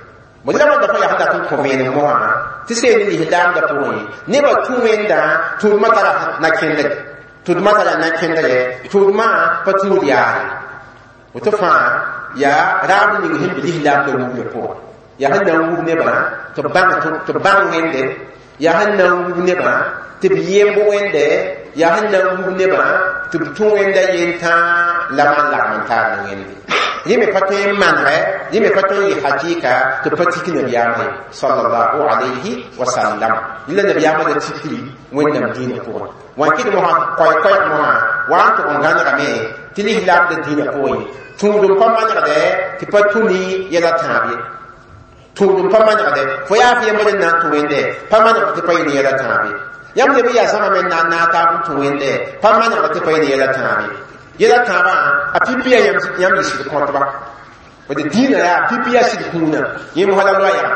Bõe la wãnda fã yaa sẽn dat n kõ vẽenem mosã tɩ seen ne lislaamdã pʋgẽ nebã tũ Wẽndã tũudmã tara na-kẽndre, tũudmã tara na-kẽndre, tũudmã pa tũud yaare. Woto fãa yaa raab ning sẽn be lislaamdã wubdã pʋgẽ yaa sẽn na n wub nebã tɩ b bãng tɩ b bãng Wẽnde, yaa sẽn na n wub nebã tɩ b yemb Wẽnde, yaa sẽn na n wub nebã tɩ b tũ Wẽnda yentãa la maan lagm n taar ne Wẽnde. Yẽ me pa tõe n manegɛ, yẽ me pa tõe n yɩ hakɩɩka tɩ b pa tik nabiyaamã ye sallallahu alayhi wa sallam. Rɩla nabiyaamã la tikri Wẽnnaam dĩinã pʋgẽ. Wã kɩd mosã koɛɛ-koɛɛg mosã wa n tʋg n gãnegame tɩ lislaamdã dĩinã pʋgẽ tũudum pa manegdɛ tɩ pa tũ ne yɛla tãab ye. Tũudum pa manegdɛ fo yaa f yembr n na n tũ Wẽnde pa manegd tɩ pa yɩ ne yɛla tãab ye. Yãmb leb n yaa zãma me n na n naag taab n tũ Wẽnde pa manegd tɩ pa yɩ ne yɛla tãab ye. Yɛla tãabã a pipi yaa yãmb yɩ sɩd kõtba bd dĩinã yaa pipi yaa sɩd kũunã yẽ mosã la loɛɛga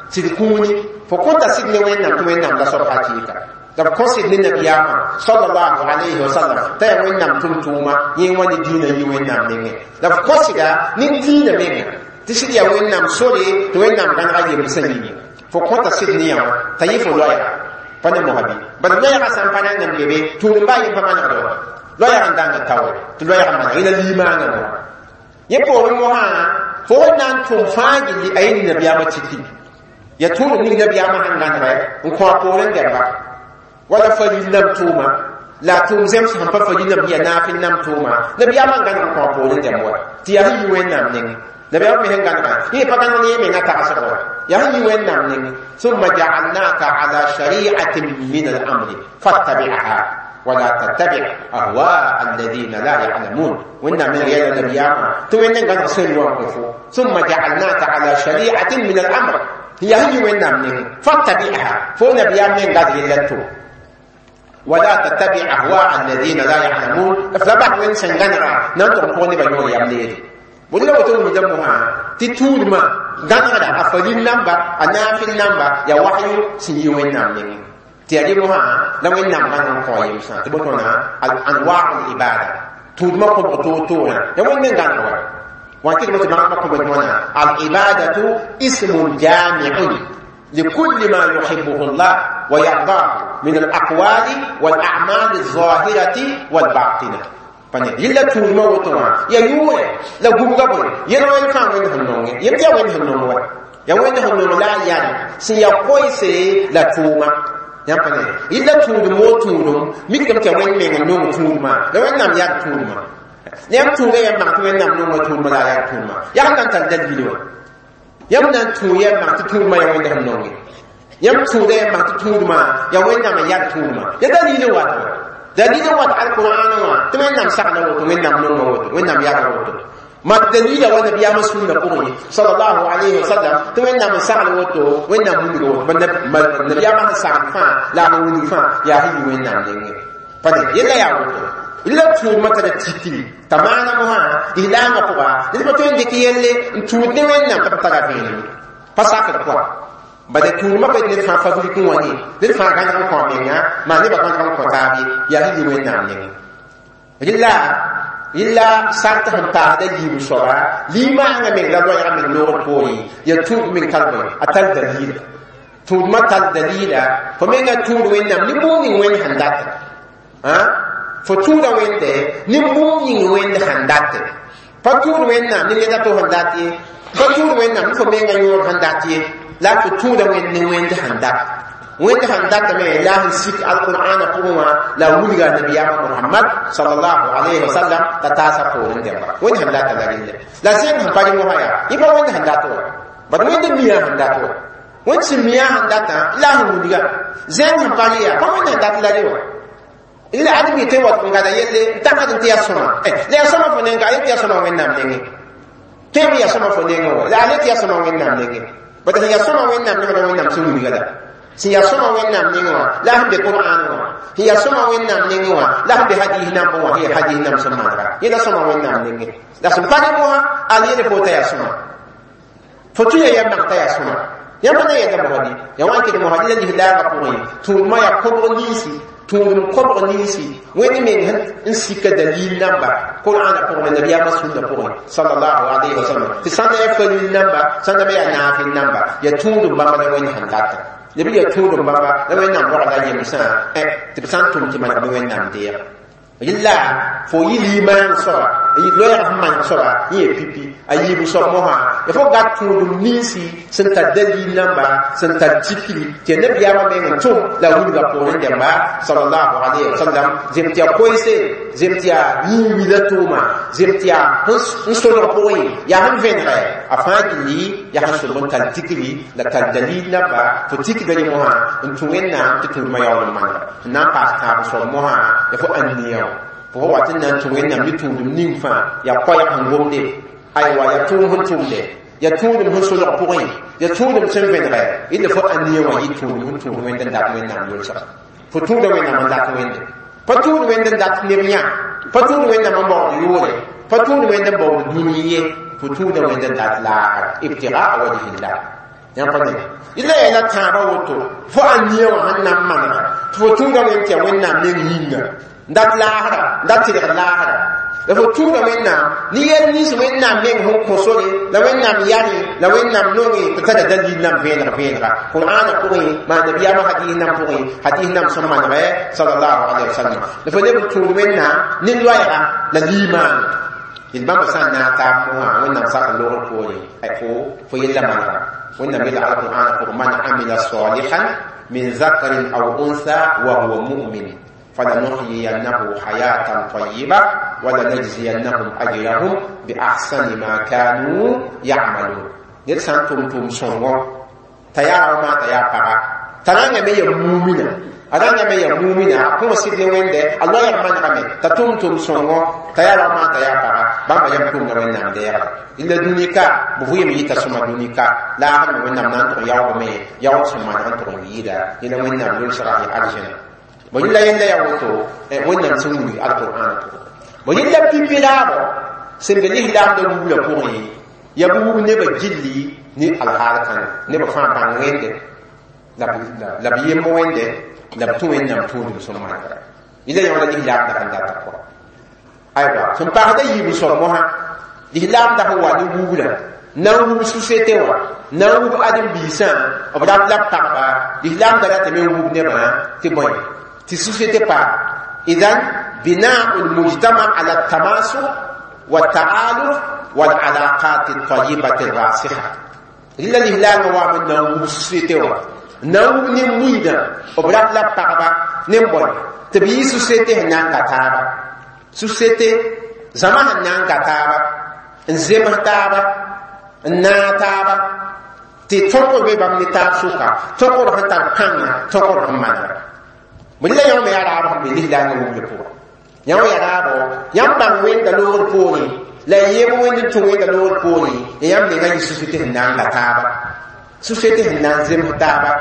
sɩd kũuni fo kõta sɩd ne Wẽnnaam tɩ Wẽnnaam la soab hakɩɩka la b kõ sɩd ne nabiyaamã sallallahu alayhi wa sallam t'a yaa Wẽnnaam tʋm-tʋʋma yẽ wã ne dĩinã yɩ Wẽnnaam nengẽ la b kõ sɩda ne dĩinã menga tɩ sɩd yaa Wẽnnaam sore tɩ Wẽnnaam gãnega yembsã yĩnga fo kõta sɩd ne yã wã t'a yɩ fo loɛɛga pa ne mosã bɩ bad loɛɛgã sã n pa na n be be tũud n baa yem pa manegd wã loɛɛg n dãnga taoore tɩ loɛɛg n maneg yẽla limaangã mosã yẽ poorẽ mosã fo n na n tʋm fãa gilli a yẽ nabiyaamã tikri ya tũudum ning nabiyaamã sẽn gãnegɛ n kõ a poorẽ dɛmba wala fa lislaam tʋʋma La tʋʋm zems sẽn pa fa yĩnam ya naafɩl nam tʋʋma nabiyaamã n gãneg n kõ poorẽ dɛmb wa tɩ yaa sẽn yi Wẽnnaam nengẽ nabiyaamã me sẽn gãnega yẽ pa gãneg ne yẽ menga tagsg wa yaa sẽn yi Wẽnnaam nengẽ ثم جعلناك على شريعة من الأمر فاتبعها ولا تتبع أهواء الذين لا يعلمون وإن من غير النبيامة تو إن قد ثم جعلناك على شريعة من الأمر هي هي وإن من فاتبعها فو نبيام من قد يلتو ولا تتبع أهواء الذين لا يعلمون فلبح وين سنغنرا ننطق قوني بيور يمليري ولا وتو مجمعها تتول ما غنرا أفلين نمبا أنافل نمبا يا وحي سني وين نمني tɩ yaa rẽ mosã la Wẽnnaam gãneg n kao yemsã tɩ bõe anwaa l-ibada tʋʋdmã kõbg toor-toorã ya Wẽnd n gãneg wa wã kɩdme tɩ bãmba kõbd wãna al-ibadatu ismun jami'un لكل ما يحبه الله ويرضاه من الأقوال والأعمال الظاهرة والباطنة pane yilla tʋʋdmã woto wã ya yʋʋre la gubga bõe yel wẽnd fãa wẽnd sẽn nonge yem tɩ ya wẽnd sẽn nong wa ya wẽnd sẽn nong la a yãl sẽn ya koɛɛse la tʋʋma yãmb pa ne yella tũudum woo tũudum mikdame tɩ ya wẽnd meng n nong tũudmã la Wẽnnaam yar tũudmã yãmb tũuda yãmb mak tɩ Wẽnnaam nonga tũudmã la a yar tũudmã yaa sẽn na n tar dalil wã yãmb na n tũ yãmb mak tɩ tũudmã ya Wẽnd sẽn nonge yãmb tũuda yãmb mak tɩ tũudmã ya Wẽnnaam n yar tũudmã ya dalil n wat wa dalil n wat alqur'an wã tɩ Wẽnnaam sagla woto Wẽnnaam nonga woto Wẽnnaam yara woto ma dalila wa nabiyama sunna pʋgẽ sallallahu alayhi wa sallam tɩ Wẽnnaam n sagl woto Wẽnnaam wilg woto nabiyaamã sẽn sagl fãa la a wilg fãa yaa sẽn yi Wẽnnaam nengẽ pa ne yella yaa woto la tũudmã tara tikri t'a maana mosã lislaamã pʋga ned pa tõe n dɩk yelle n tũud ne Wẽnnaam tɩ b tara vẽenem pa sakd pʋga bala tũudmã pa ned fãa fabrikẽ wã ne ned fãa gãneg n kõ a menga maa nebã gãneg n kõ taab ye yaa sẽn yi Wẽnnaam nengẽ rɩla yella sart sẽn paasda yiib soaba limaangã meng la loɛɛgã meng noogr poorẽ ya tũud meng tar bõe a tar dalila tũudmã tar dalila fo menga tũud Wẽnnaam ne bũmb ning Wẽnd sẽn data fo tũuda Wẽnde ne bũmb ning Wẽnd sẽn date pa tũud Wẽnnaam ne ned a to sẽn dat ye pa tũud Wẽnnaam ne fo menga yõor sẽn dat ye la fo tũuda Wẽnd ne Wẽnd sẽn dat Wẽnd sẽn datame la sẽn sik alqur'ana pʋgẽ wã la wilga nabiyaamã Muhammad sallallahu alayhi wa sallam t'a taasa poorẽ dẽmba Wẽnd sẽn data la relle la zẽng sẽn pa rẽ mosã yaa yẽ pa Wẽnd sẽn dat wa bad Wẽnd mia sẽn dat wa Wẽnd sẽn mia sẽn datã la sẽn wilga zẽng sẽn pa rẽ yaa pa Wẽnd sẽn dat la rẽ wa la ad mi tɩ wat n gada yelle n tagd n tɩ yaa sõma la yaa sõma fo nenga a yet tɩ yaa sõma Wẽnnaam nengẽ tõe yaa sõma fo nengẽ wa la a le tɩ yaa sõma Wẽnnaam nengẽ bad sẽn yaa sõma Wẽnnaam nengẽ la Wẽnnaam sẽn wilga la sẽn yaa sõma Wẽnnaam nengẽ wã la sẽn be Qur'an wã sẽn yaa sõma Wẽnnaam nengẽ wã la sẽn be hadis nambẽ wã sẽn yaa hadis namb sẽn manega yẽ la sõma Wẽnnaam nengẽ la sẽn pa ne mosã al yele fo t'a yaa sõma fo tũ ya yam mak t'a yaa sõma yãmb pa na yɛda mosã ya wa n ket mosã la lislaamã pʋgẽ tũudmã yaa kobg ninsi tũudem kobg ninsi Wẽnd meng n sika dalil namba Qur'ana pʋgẽ nabiyaamã sũnna pʋgẽ sallallahu alayhi wa sallam tɩ sãn yaa falil namba sãn me yaa naafɩl namba yaa tũudem bãmba la Wẽnd sẽn data lb yaa tũudem bãmba la Wẽnnaam rogla yemsã tɩ b sã n tʋm tɩ maneg bɩ Wẽnnaam deeg yella fo yɩ limaan soaba loɛɛg sẽn maneg soaba yẽ ya pipi a yiib soab mosã ya fo gat tũudem ninsi sẽn tar dalil namba sẽn tar tikri tɩ ya nabiyaamã meng n tʋm la wilga poorẽ dẽmba sallallahu alayhi wa sallam zem tɩ yaa koɛɛse zem tɩ yaa yĩn-wila tʋʋma zem tɩ yaa n solg pʋgẽ yaa sẽn vẽnegɛ a fãa gilli yaa sẽn sob n tar tikri la tar dalil namba fo tikda rẽ mosã n tũ Wẽnnaam tɩ tũudmã yaool n manega n na n paas tãab soab mosã ya fo ãnniya wã fo wat n na n tũ Wẽnnaam ne tũudem ning fãa yaa koɛɛg sẽn gomde aywa yaa tʋʋm sẽn tʋmde yaa tũudem sẽn solg pʋgẽ yaa tũudem sẽn vẽnegɛ yella fo ãnniya wã yɩ tũudem sẽn tũud Wẽnd n dat Wẽnnaam yʋlsga fo tũuda Wẽnnaam n dat Wẽnde pa tũud Wẽnd n dat neb yã pa tũud Wẽnnaam n baood yʋʋre pa tũud Wẽnd n baood dũni ye fo tũuda Wẽnd n dat laagr ibtigaa wajhillah yãmb pa ne yella yaa la tãabã woto fo ãnniya wã sẽn na n manega tɩ fo tũuda Wẽnd tɩ yaa Wẽnnaam meng yĩnga n dat laagra n dat tɩlgd laagra la fo tũuda Wẽnnaam ne yɛl nins Wẽnnaam meng sẽn kõ sore la Wẽnnaam yare la Wẽnnaam nonge tɩ tara dalil nam vẽeneg vẽenega Qur'ana pʋgẽ maa nabiyaamã hadis nam pʋgẽ hadis nam sẽn manegɛ sallallahu alayhi wa sallam la fo leb n tũud Wẽnnaam ne loɛɛga la liimaane yel bãmba sã n naag taab mosã Wẽnnaam sak n logr poore fo fo yella manega Wẽnnaam yella alqur'ana pʋgẽ man amila salihan min zakarin aw unsa wa huwa mu'min فلنحيينه حياة طيبة ولنجزينهم أجرهم بأحسن ما كانوا يعملون. Ned sã n tʋm tʋʋm sõngo t'a yaa ma t'a yaa paga t'a rãngame ya mumina a rãngame ya mumina a kõo sɩd ne Wẽnde a loɛɛg manegame t'a tʋm tʋʋm sõngo t'a yaa ma t'a yaa paga bãmba yam tʋmda Wẽnnaam deegda illa dũni ka b vʋɩɩm yɩta sõma dũni ka laagdme Wẽnnaam na n tʋg yaoogame yaoog sẽn maneg n tʋg n yɩɩda yẽla Wẽnnaam yolsga yã aljana bõ yẽla yẽnda yaa woto Wẽnnaam sẽn wilg alqur'ana pʋgẽ bõ yẽla pipi raabo sẽn be lislaamda wubla pʋgẽ ya b wub nebã gilli ne alhaal kãnga nebã fãa bãng Wẽnde la b yemb Wẽnde la b tũ Wẽnnaam tũudum sẽn manegda yẽla yõ la lislaamda sẽn data pʋga aywa sẽn paasda yiib soab mosã lislaamda sẽn wa ne wubra na n wub société wã na n wub ãdem-biisã b rat la b pagba lislaamda ratame n wub nebã tɩ bõe tɩ société pa idan binau lmujtama ala tamasuk والتآلف والعلاقات الطيبة الراسخة. إلا الإهلال وام نوم société wa نوم نمويدا وبرات لا pagba nem-bõe tɩ b yɩ société sẽn na n ka taaba société zãma sẽn na n ka taaba n zems taaba n naag taaba tɩ tõkr be bãmb ne taab sʋka tõkr sẽn tar pãnga tõkr sẽn manega bõe la yõ me yaa raab sẽn be lislaangã wubla pʋgã yã wã yaa raabo yãmb bãng Wẽnda loogr poorẽ la y yem Wẽnd n tũ Wẽnda loogr poorẽ ya yãmb menga yɩ société sẽn na n ga taaba société sẽn na n zems taaba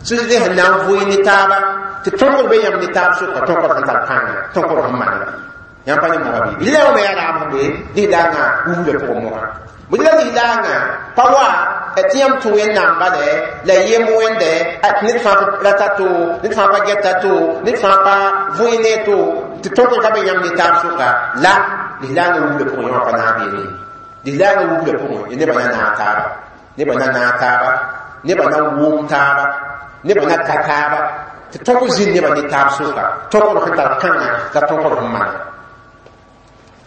société sẽn na n vʋɩ ne taaba tɩ tõkr be yãmb ne taab sʋka tõkr sẽn tar pãnga tõkr sẽn manega yãmb pa ne moga bɩ la yõ me yaa raab sẽn be lislaangã wubla pʋgẽ mosã bõe la lislaangã pa wa tɩ yãmb tũ Wẽnnaam bale la y yem Wẽnde ned fãa rata to ned fãa pa gɛta to ned fãa pa vʋɩ ne to tɩ tõkr ka be yãmb ne taab sʋka la lislaangã wubla pʋgẽ yõ pa naag beene lislaangã wubla pʋgẽ nebã na naag taaba nebã na naag taaba nebã na wʋm taaba nebã na ka taaba tɩ tõkr zĩnd nebã ne taab sʋka tõkr sẽn tar pãnga la tõkr sẽn manega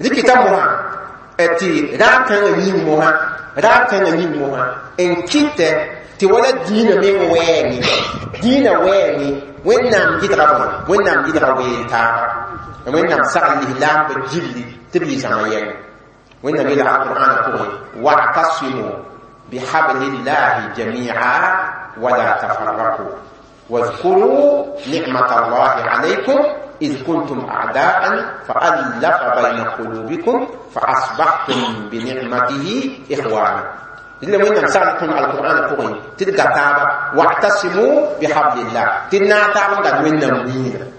rɩkɩta mosã tɩ raab kãngã yĩng mosã raab kãngã yĩng mosã n kɩtɛ tɩ wala dĩinã meng wɛɛngẽ dĩinã wɛɛngẽ Wẽnnaam gɩdga bõe Wẽnnaam gɩdga weel taaba Wẽnnaam sagl lislaambã gilli tɩ b yɩ zãma yɛngẽ Wẽnnaam yeela alqur'ana pʋgẽ wa'tasimu bihablillahi jami'a wala tafarraqu واذكروا نعمة الله عليكم إذ كنتم أعداء فألف بين قلوبكم فأصبحتم بنعمته إخوانا. إلا وين سألتم القرآن قوي تلقى تابا واعتصموا بحبل الله تنا تابا قد وين نمين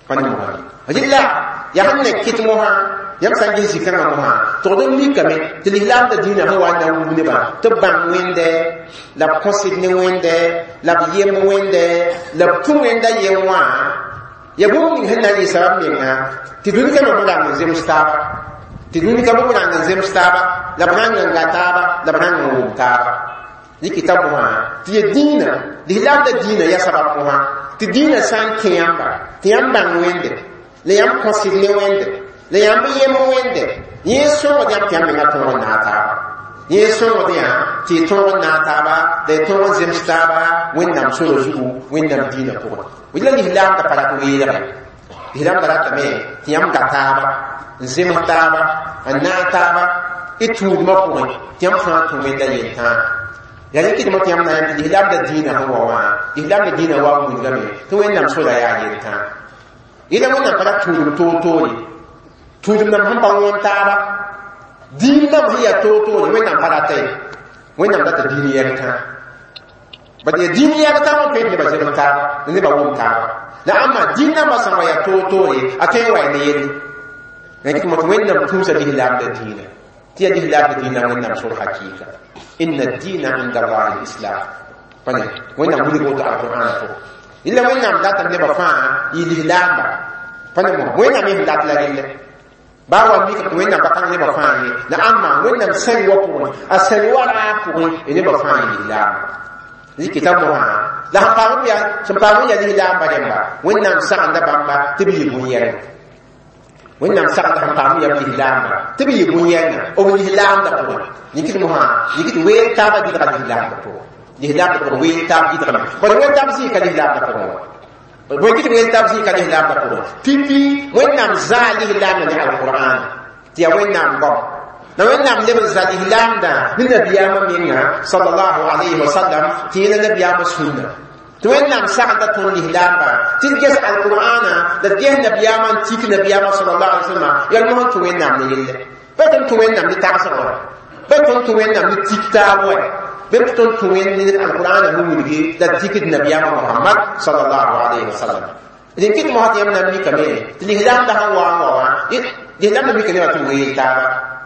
فنمها إلا يهن كتمها yam sã n ges zĩ-kãngã mosã togd n mikame tɩ lislaamda dĩinã sẽn wa n na n wub nebã tɩ b bãng Wẽnde la b kõsd ne Wẽnde la b yem Wẽnde la b tũ Wẽnda yem wã ya bũmb ning sẽn na n yɩ sabab menga tɩ dũni kãmã b rang n zems taaba tɩ dũni kãmã b rang n zems taaba la b rang n ga taaba la b rang n wʋm taaba rɩkɩta mosã tɩ ya dĩinã lislaamda dĩinã ya sabab mosã tɩ dĩinã sã n kẽ yãmba tɩ yãmb bãng Wẽnde la yãmb kõsd ne Wẽnde la yãmb yem Wẽnde yẽ sõgd yãmb tɩ yãmb menga tõog n naag taaba yẽ sõgd yã tɩ y tõog n naag taaba la y tõog n zems taaba Wẽnnaam sora zugu Wẽnnaam dĩinã pʋgẽ bõe la lislaamda pa rat weelgẽ lislaamda ratame tɩ yãmb ga taaba n zems taaba n naag taaba y tũudmã pʋgẽ tɩ yãmb fãa tũ Wẽnda yel-tãa yaa rɩkɩdmã tɩ yãmb na yãmb tɩ lislaamda dĩinã sẽn wa wã lislaamda dĩinã wa wilgame tɩ Wẽnnaam sora yaa yel-tãa yẽla Wẽnnaam pa rat tũudum toor-toore tũudum nam sẽn pa wõn taaba dĩin nam sẽn yaa toor-toore Wẽnnaam pa rata ye Wẽnnaam rata dĩin yɛl-tãa bad yaa dĩin yɛl-tãa wã tõe tɩ nebã zems taaba la nebã wʋm taaba la ãmba dĩin nambã sã n wa yaa toor-toore a tõe n wa ya ne yelle rẽk tɩ Wẽnnaam tũusa lislaamda dĩinã tɩ yaa lislaamda dĩinã Wẽnnaam sor hakɩɩka inna dĩina inda allahi lislam pa ne Wẽnnaam wilg woto alqur'ana pʋgẽ illa Wẽnnaam datame nebã fãa yɩ lislaamba pa ne mosã Wẽnnaam sẽn dat la relle baa wa mika tɩ Wẽnnaam pa kãng nebã fãa ye la ãmba Wẽnnaam sẽng wa pʋgẽ a sẽng wa raag pʋgẽ nebã fãa yɩ lislaamba rɩkɩta mosã la sẽn paam yaa sẽn paam n yaa lislaamba rẽmba Wẽnnaam sagenda bãmba tɩ b yɩ bũn-yɛlma Wẽnnaam sagenda sẽn paam n yaa b lislaamba tɩ b yɩ bũn-yɛlma b lislaamda pʋgẽ yĩkd mosã yĩkd weel taabã gɩdga lislaamda pʋgẽ lislaamda pʋgẽ weel taab gɩdgame bad weel taab zĩig ka lislaamda pʋgẽ wa bõe kɩ tɩ wẽn tab zĩ ka lislaamdã pʋgẽ pipi Wẽnnaam zaa lislaamdã ne alqur'an tɩ yaa Wẽnnaam goam la Wẽnnaam leb n za lislaamdã ne nabiyaamã menga sallallahu alayhi wa sallam tɩ yẽla nabiyaamã sũnna tɩ Wẽnnaam sagenda tõnd lislaamba tɩ d ges alqur'ana la d ges nabiyaamã n tik nabiyaamã sallallahu alayhi wa sallam yal mosẽ tɩ Wẽnnaam ne yelle bɩ tõnd tũ Wẽnnaam ne tagsg wa bɩ tõnd tũ Wẽnnaam ne tik taab wa bɩ tõnd tũ Wẽnd ne alqur'ana ne wilgi la d tikd nabiyaamã Muhammad sallallahu alayhi wa sallam dẽn kɩt mosã tɩ yãmb na n mikame tɩ lislaamdã sẽn wa n wa wã lislaamdã mika nebã tɩ weel taaba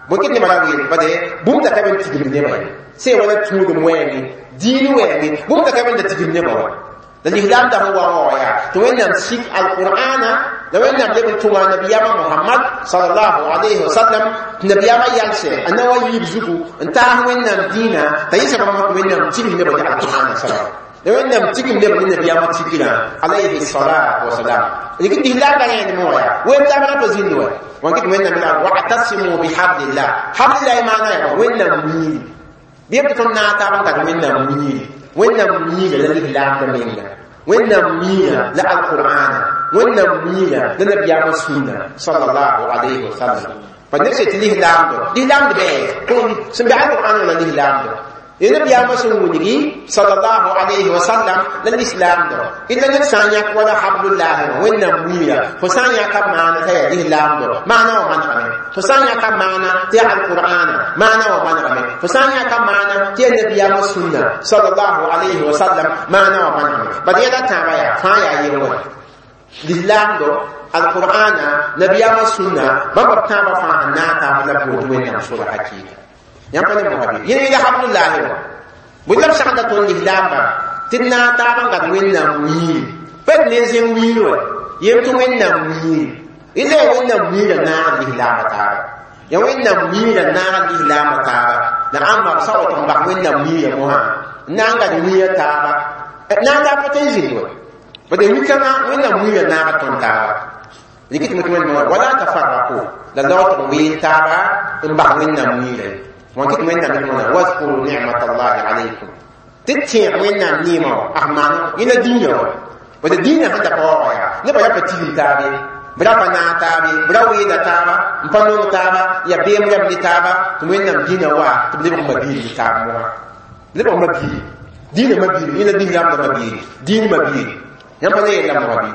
bõe kɩt nebã ra weel bade bũmb da ka be n tigimd nebã ye sẽn wala tũudem wɛɛngẽ diin wɛɛngẽ bũmb da ka be n da tigimd nebã wa la lislaamdã sẽn wa n wa yaa tɩ Wẽnnaam sik alqur'ana la Wẽnnaam leb n tʋma nabiyaamã Muhammad sallallahu alayhi wa sallam tɩ nabiyaamã yalsɛ a na wa yiib zugu n taas Wẽnnaam dĩinã t'a yɩsa bãmb tɩ Wẽnnaam tigim nebã ne alqur'ana sabab la Wẽnnaam tigim neb ne nabiyaamã tigrã alayhi salatu wasalam rɩk lislaamdã rẽenem wã yaa wẽn taab ra pa zĩnd wa wã kɩt Wẽnnaam la wa'tasimu bihablillah hablillahi maana yaa Wẽnnaam wiiri bɩ b tɩ tõnd naag taab n kat Wẽnnaam wiiri Wẽnnaam wiira la lislaamdã menga Wẽnnaam wiira la alqur'ana Wẽnnaam wiira la nabiyaamã sũnna sallallahu alayhi wa sallam pa neb sẽn tɩ lislaamdo lislaamd bɩ sẽn be alqur'an la lislaamdo nabiyaamã sẽn wilgi sallallahu alayhi wa sallam la lislaamdo illa ned sã n yãk wala hablullahi Wẽnnaam wiira fo sã n yãka maana t'a yaa lislaamdo maana wã manegame fo sã n yãka maana tɩ yaa alqur'ana maana wã manegame fo sã n yãka maana tɩ yaa nabiyaamã sũnna sallallahu alayhi wa sallam maana wã manegame bad yɛla tãabã yaa fãa yaa yel wã lislaamdo alqur'ana nabiyaamã sũnna bãmb b tãabã fãa sẽn naag taab la b woto Wẽnnaam sora hakɩɩka yãmb pa ne mosã bɩ yẽ la hablullahi wã bõe la b sagenda tõnd lislaamba tɩ d naag taab n gat Wẽnnaam wiiri pa d ne zẽng wiir wa yem tɩ Wẽnnaam wiiri illa ya Wẽnnaam wiirã naag lislaambã taaba ya Wẽnnaam wiirã naag lislaambã taaba la ãmba b sa wa tɩ n bas Wẽnnaam wiirã mosã n na n gat wiirã taaba naag taab pa tõe n zĩnd wa bad wi-kãngã Wẽnnaam wiirã naaga tõnd taaba rɩk tɩ wẽnd wala tafarraqu la laog tɩ n weel taaba n bas Wẽnnaam wiirã ye wã kɩt Wẽnnaam tɩ wazkuru nicmatallahi alaykum tɩ tẽeg Wẽnnaam neemã wã as maana yẽla dĩinã wã bad dĩinã sẽn da pa wa wã yaa nebã yaa pa tigim taabe b ra pa naag taabe b ra weela taaba n pa nong taaba yaa beem rãmb ne taaba tɩ Wẽnnaam dĩinã wa tɩ b lebg mabiir ne taab mosã lebg mabiiri dĩinã mabiiri yẽla lislaamdã mabiiri dĩin mabiiri yãmb pa ne yella mosã bɩ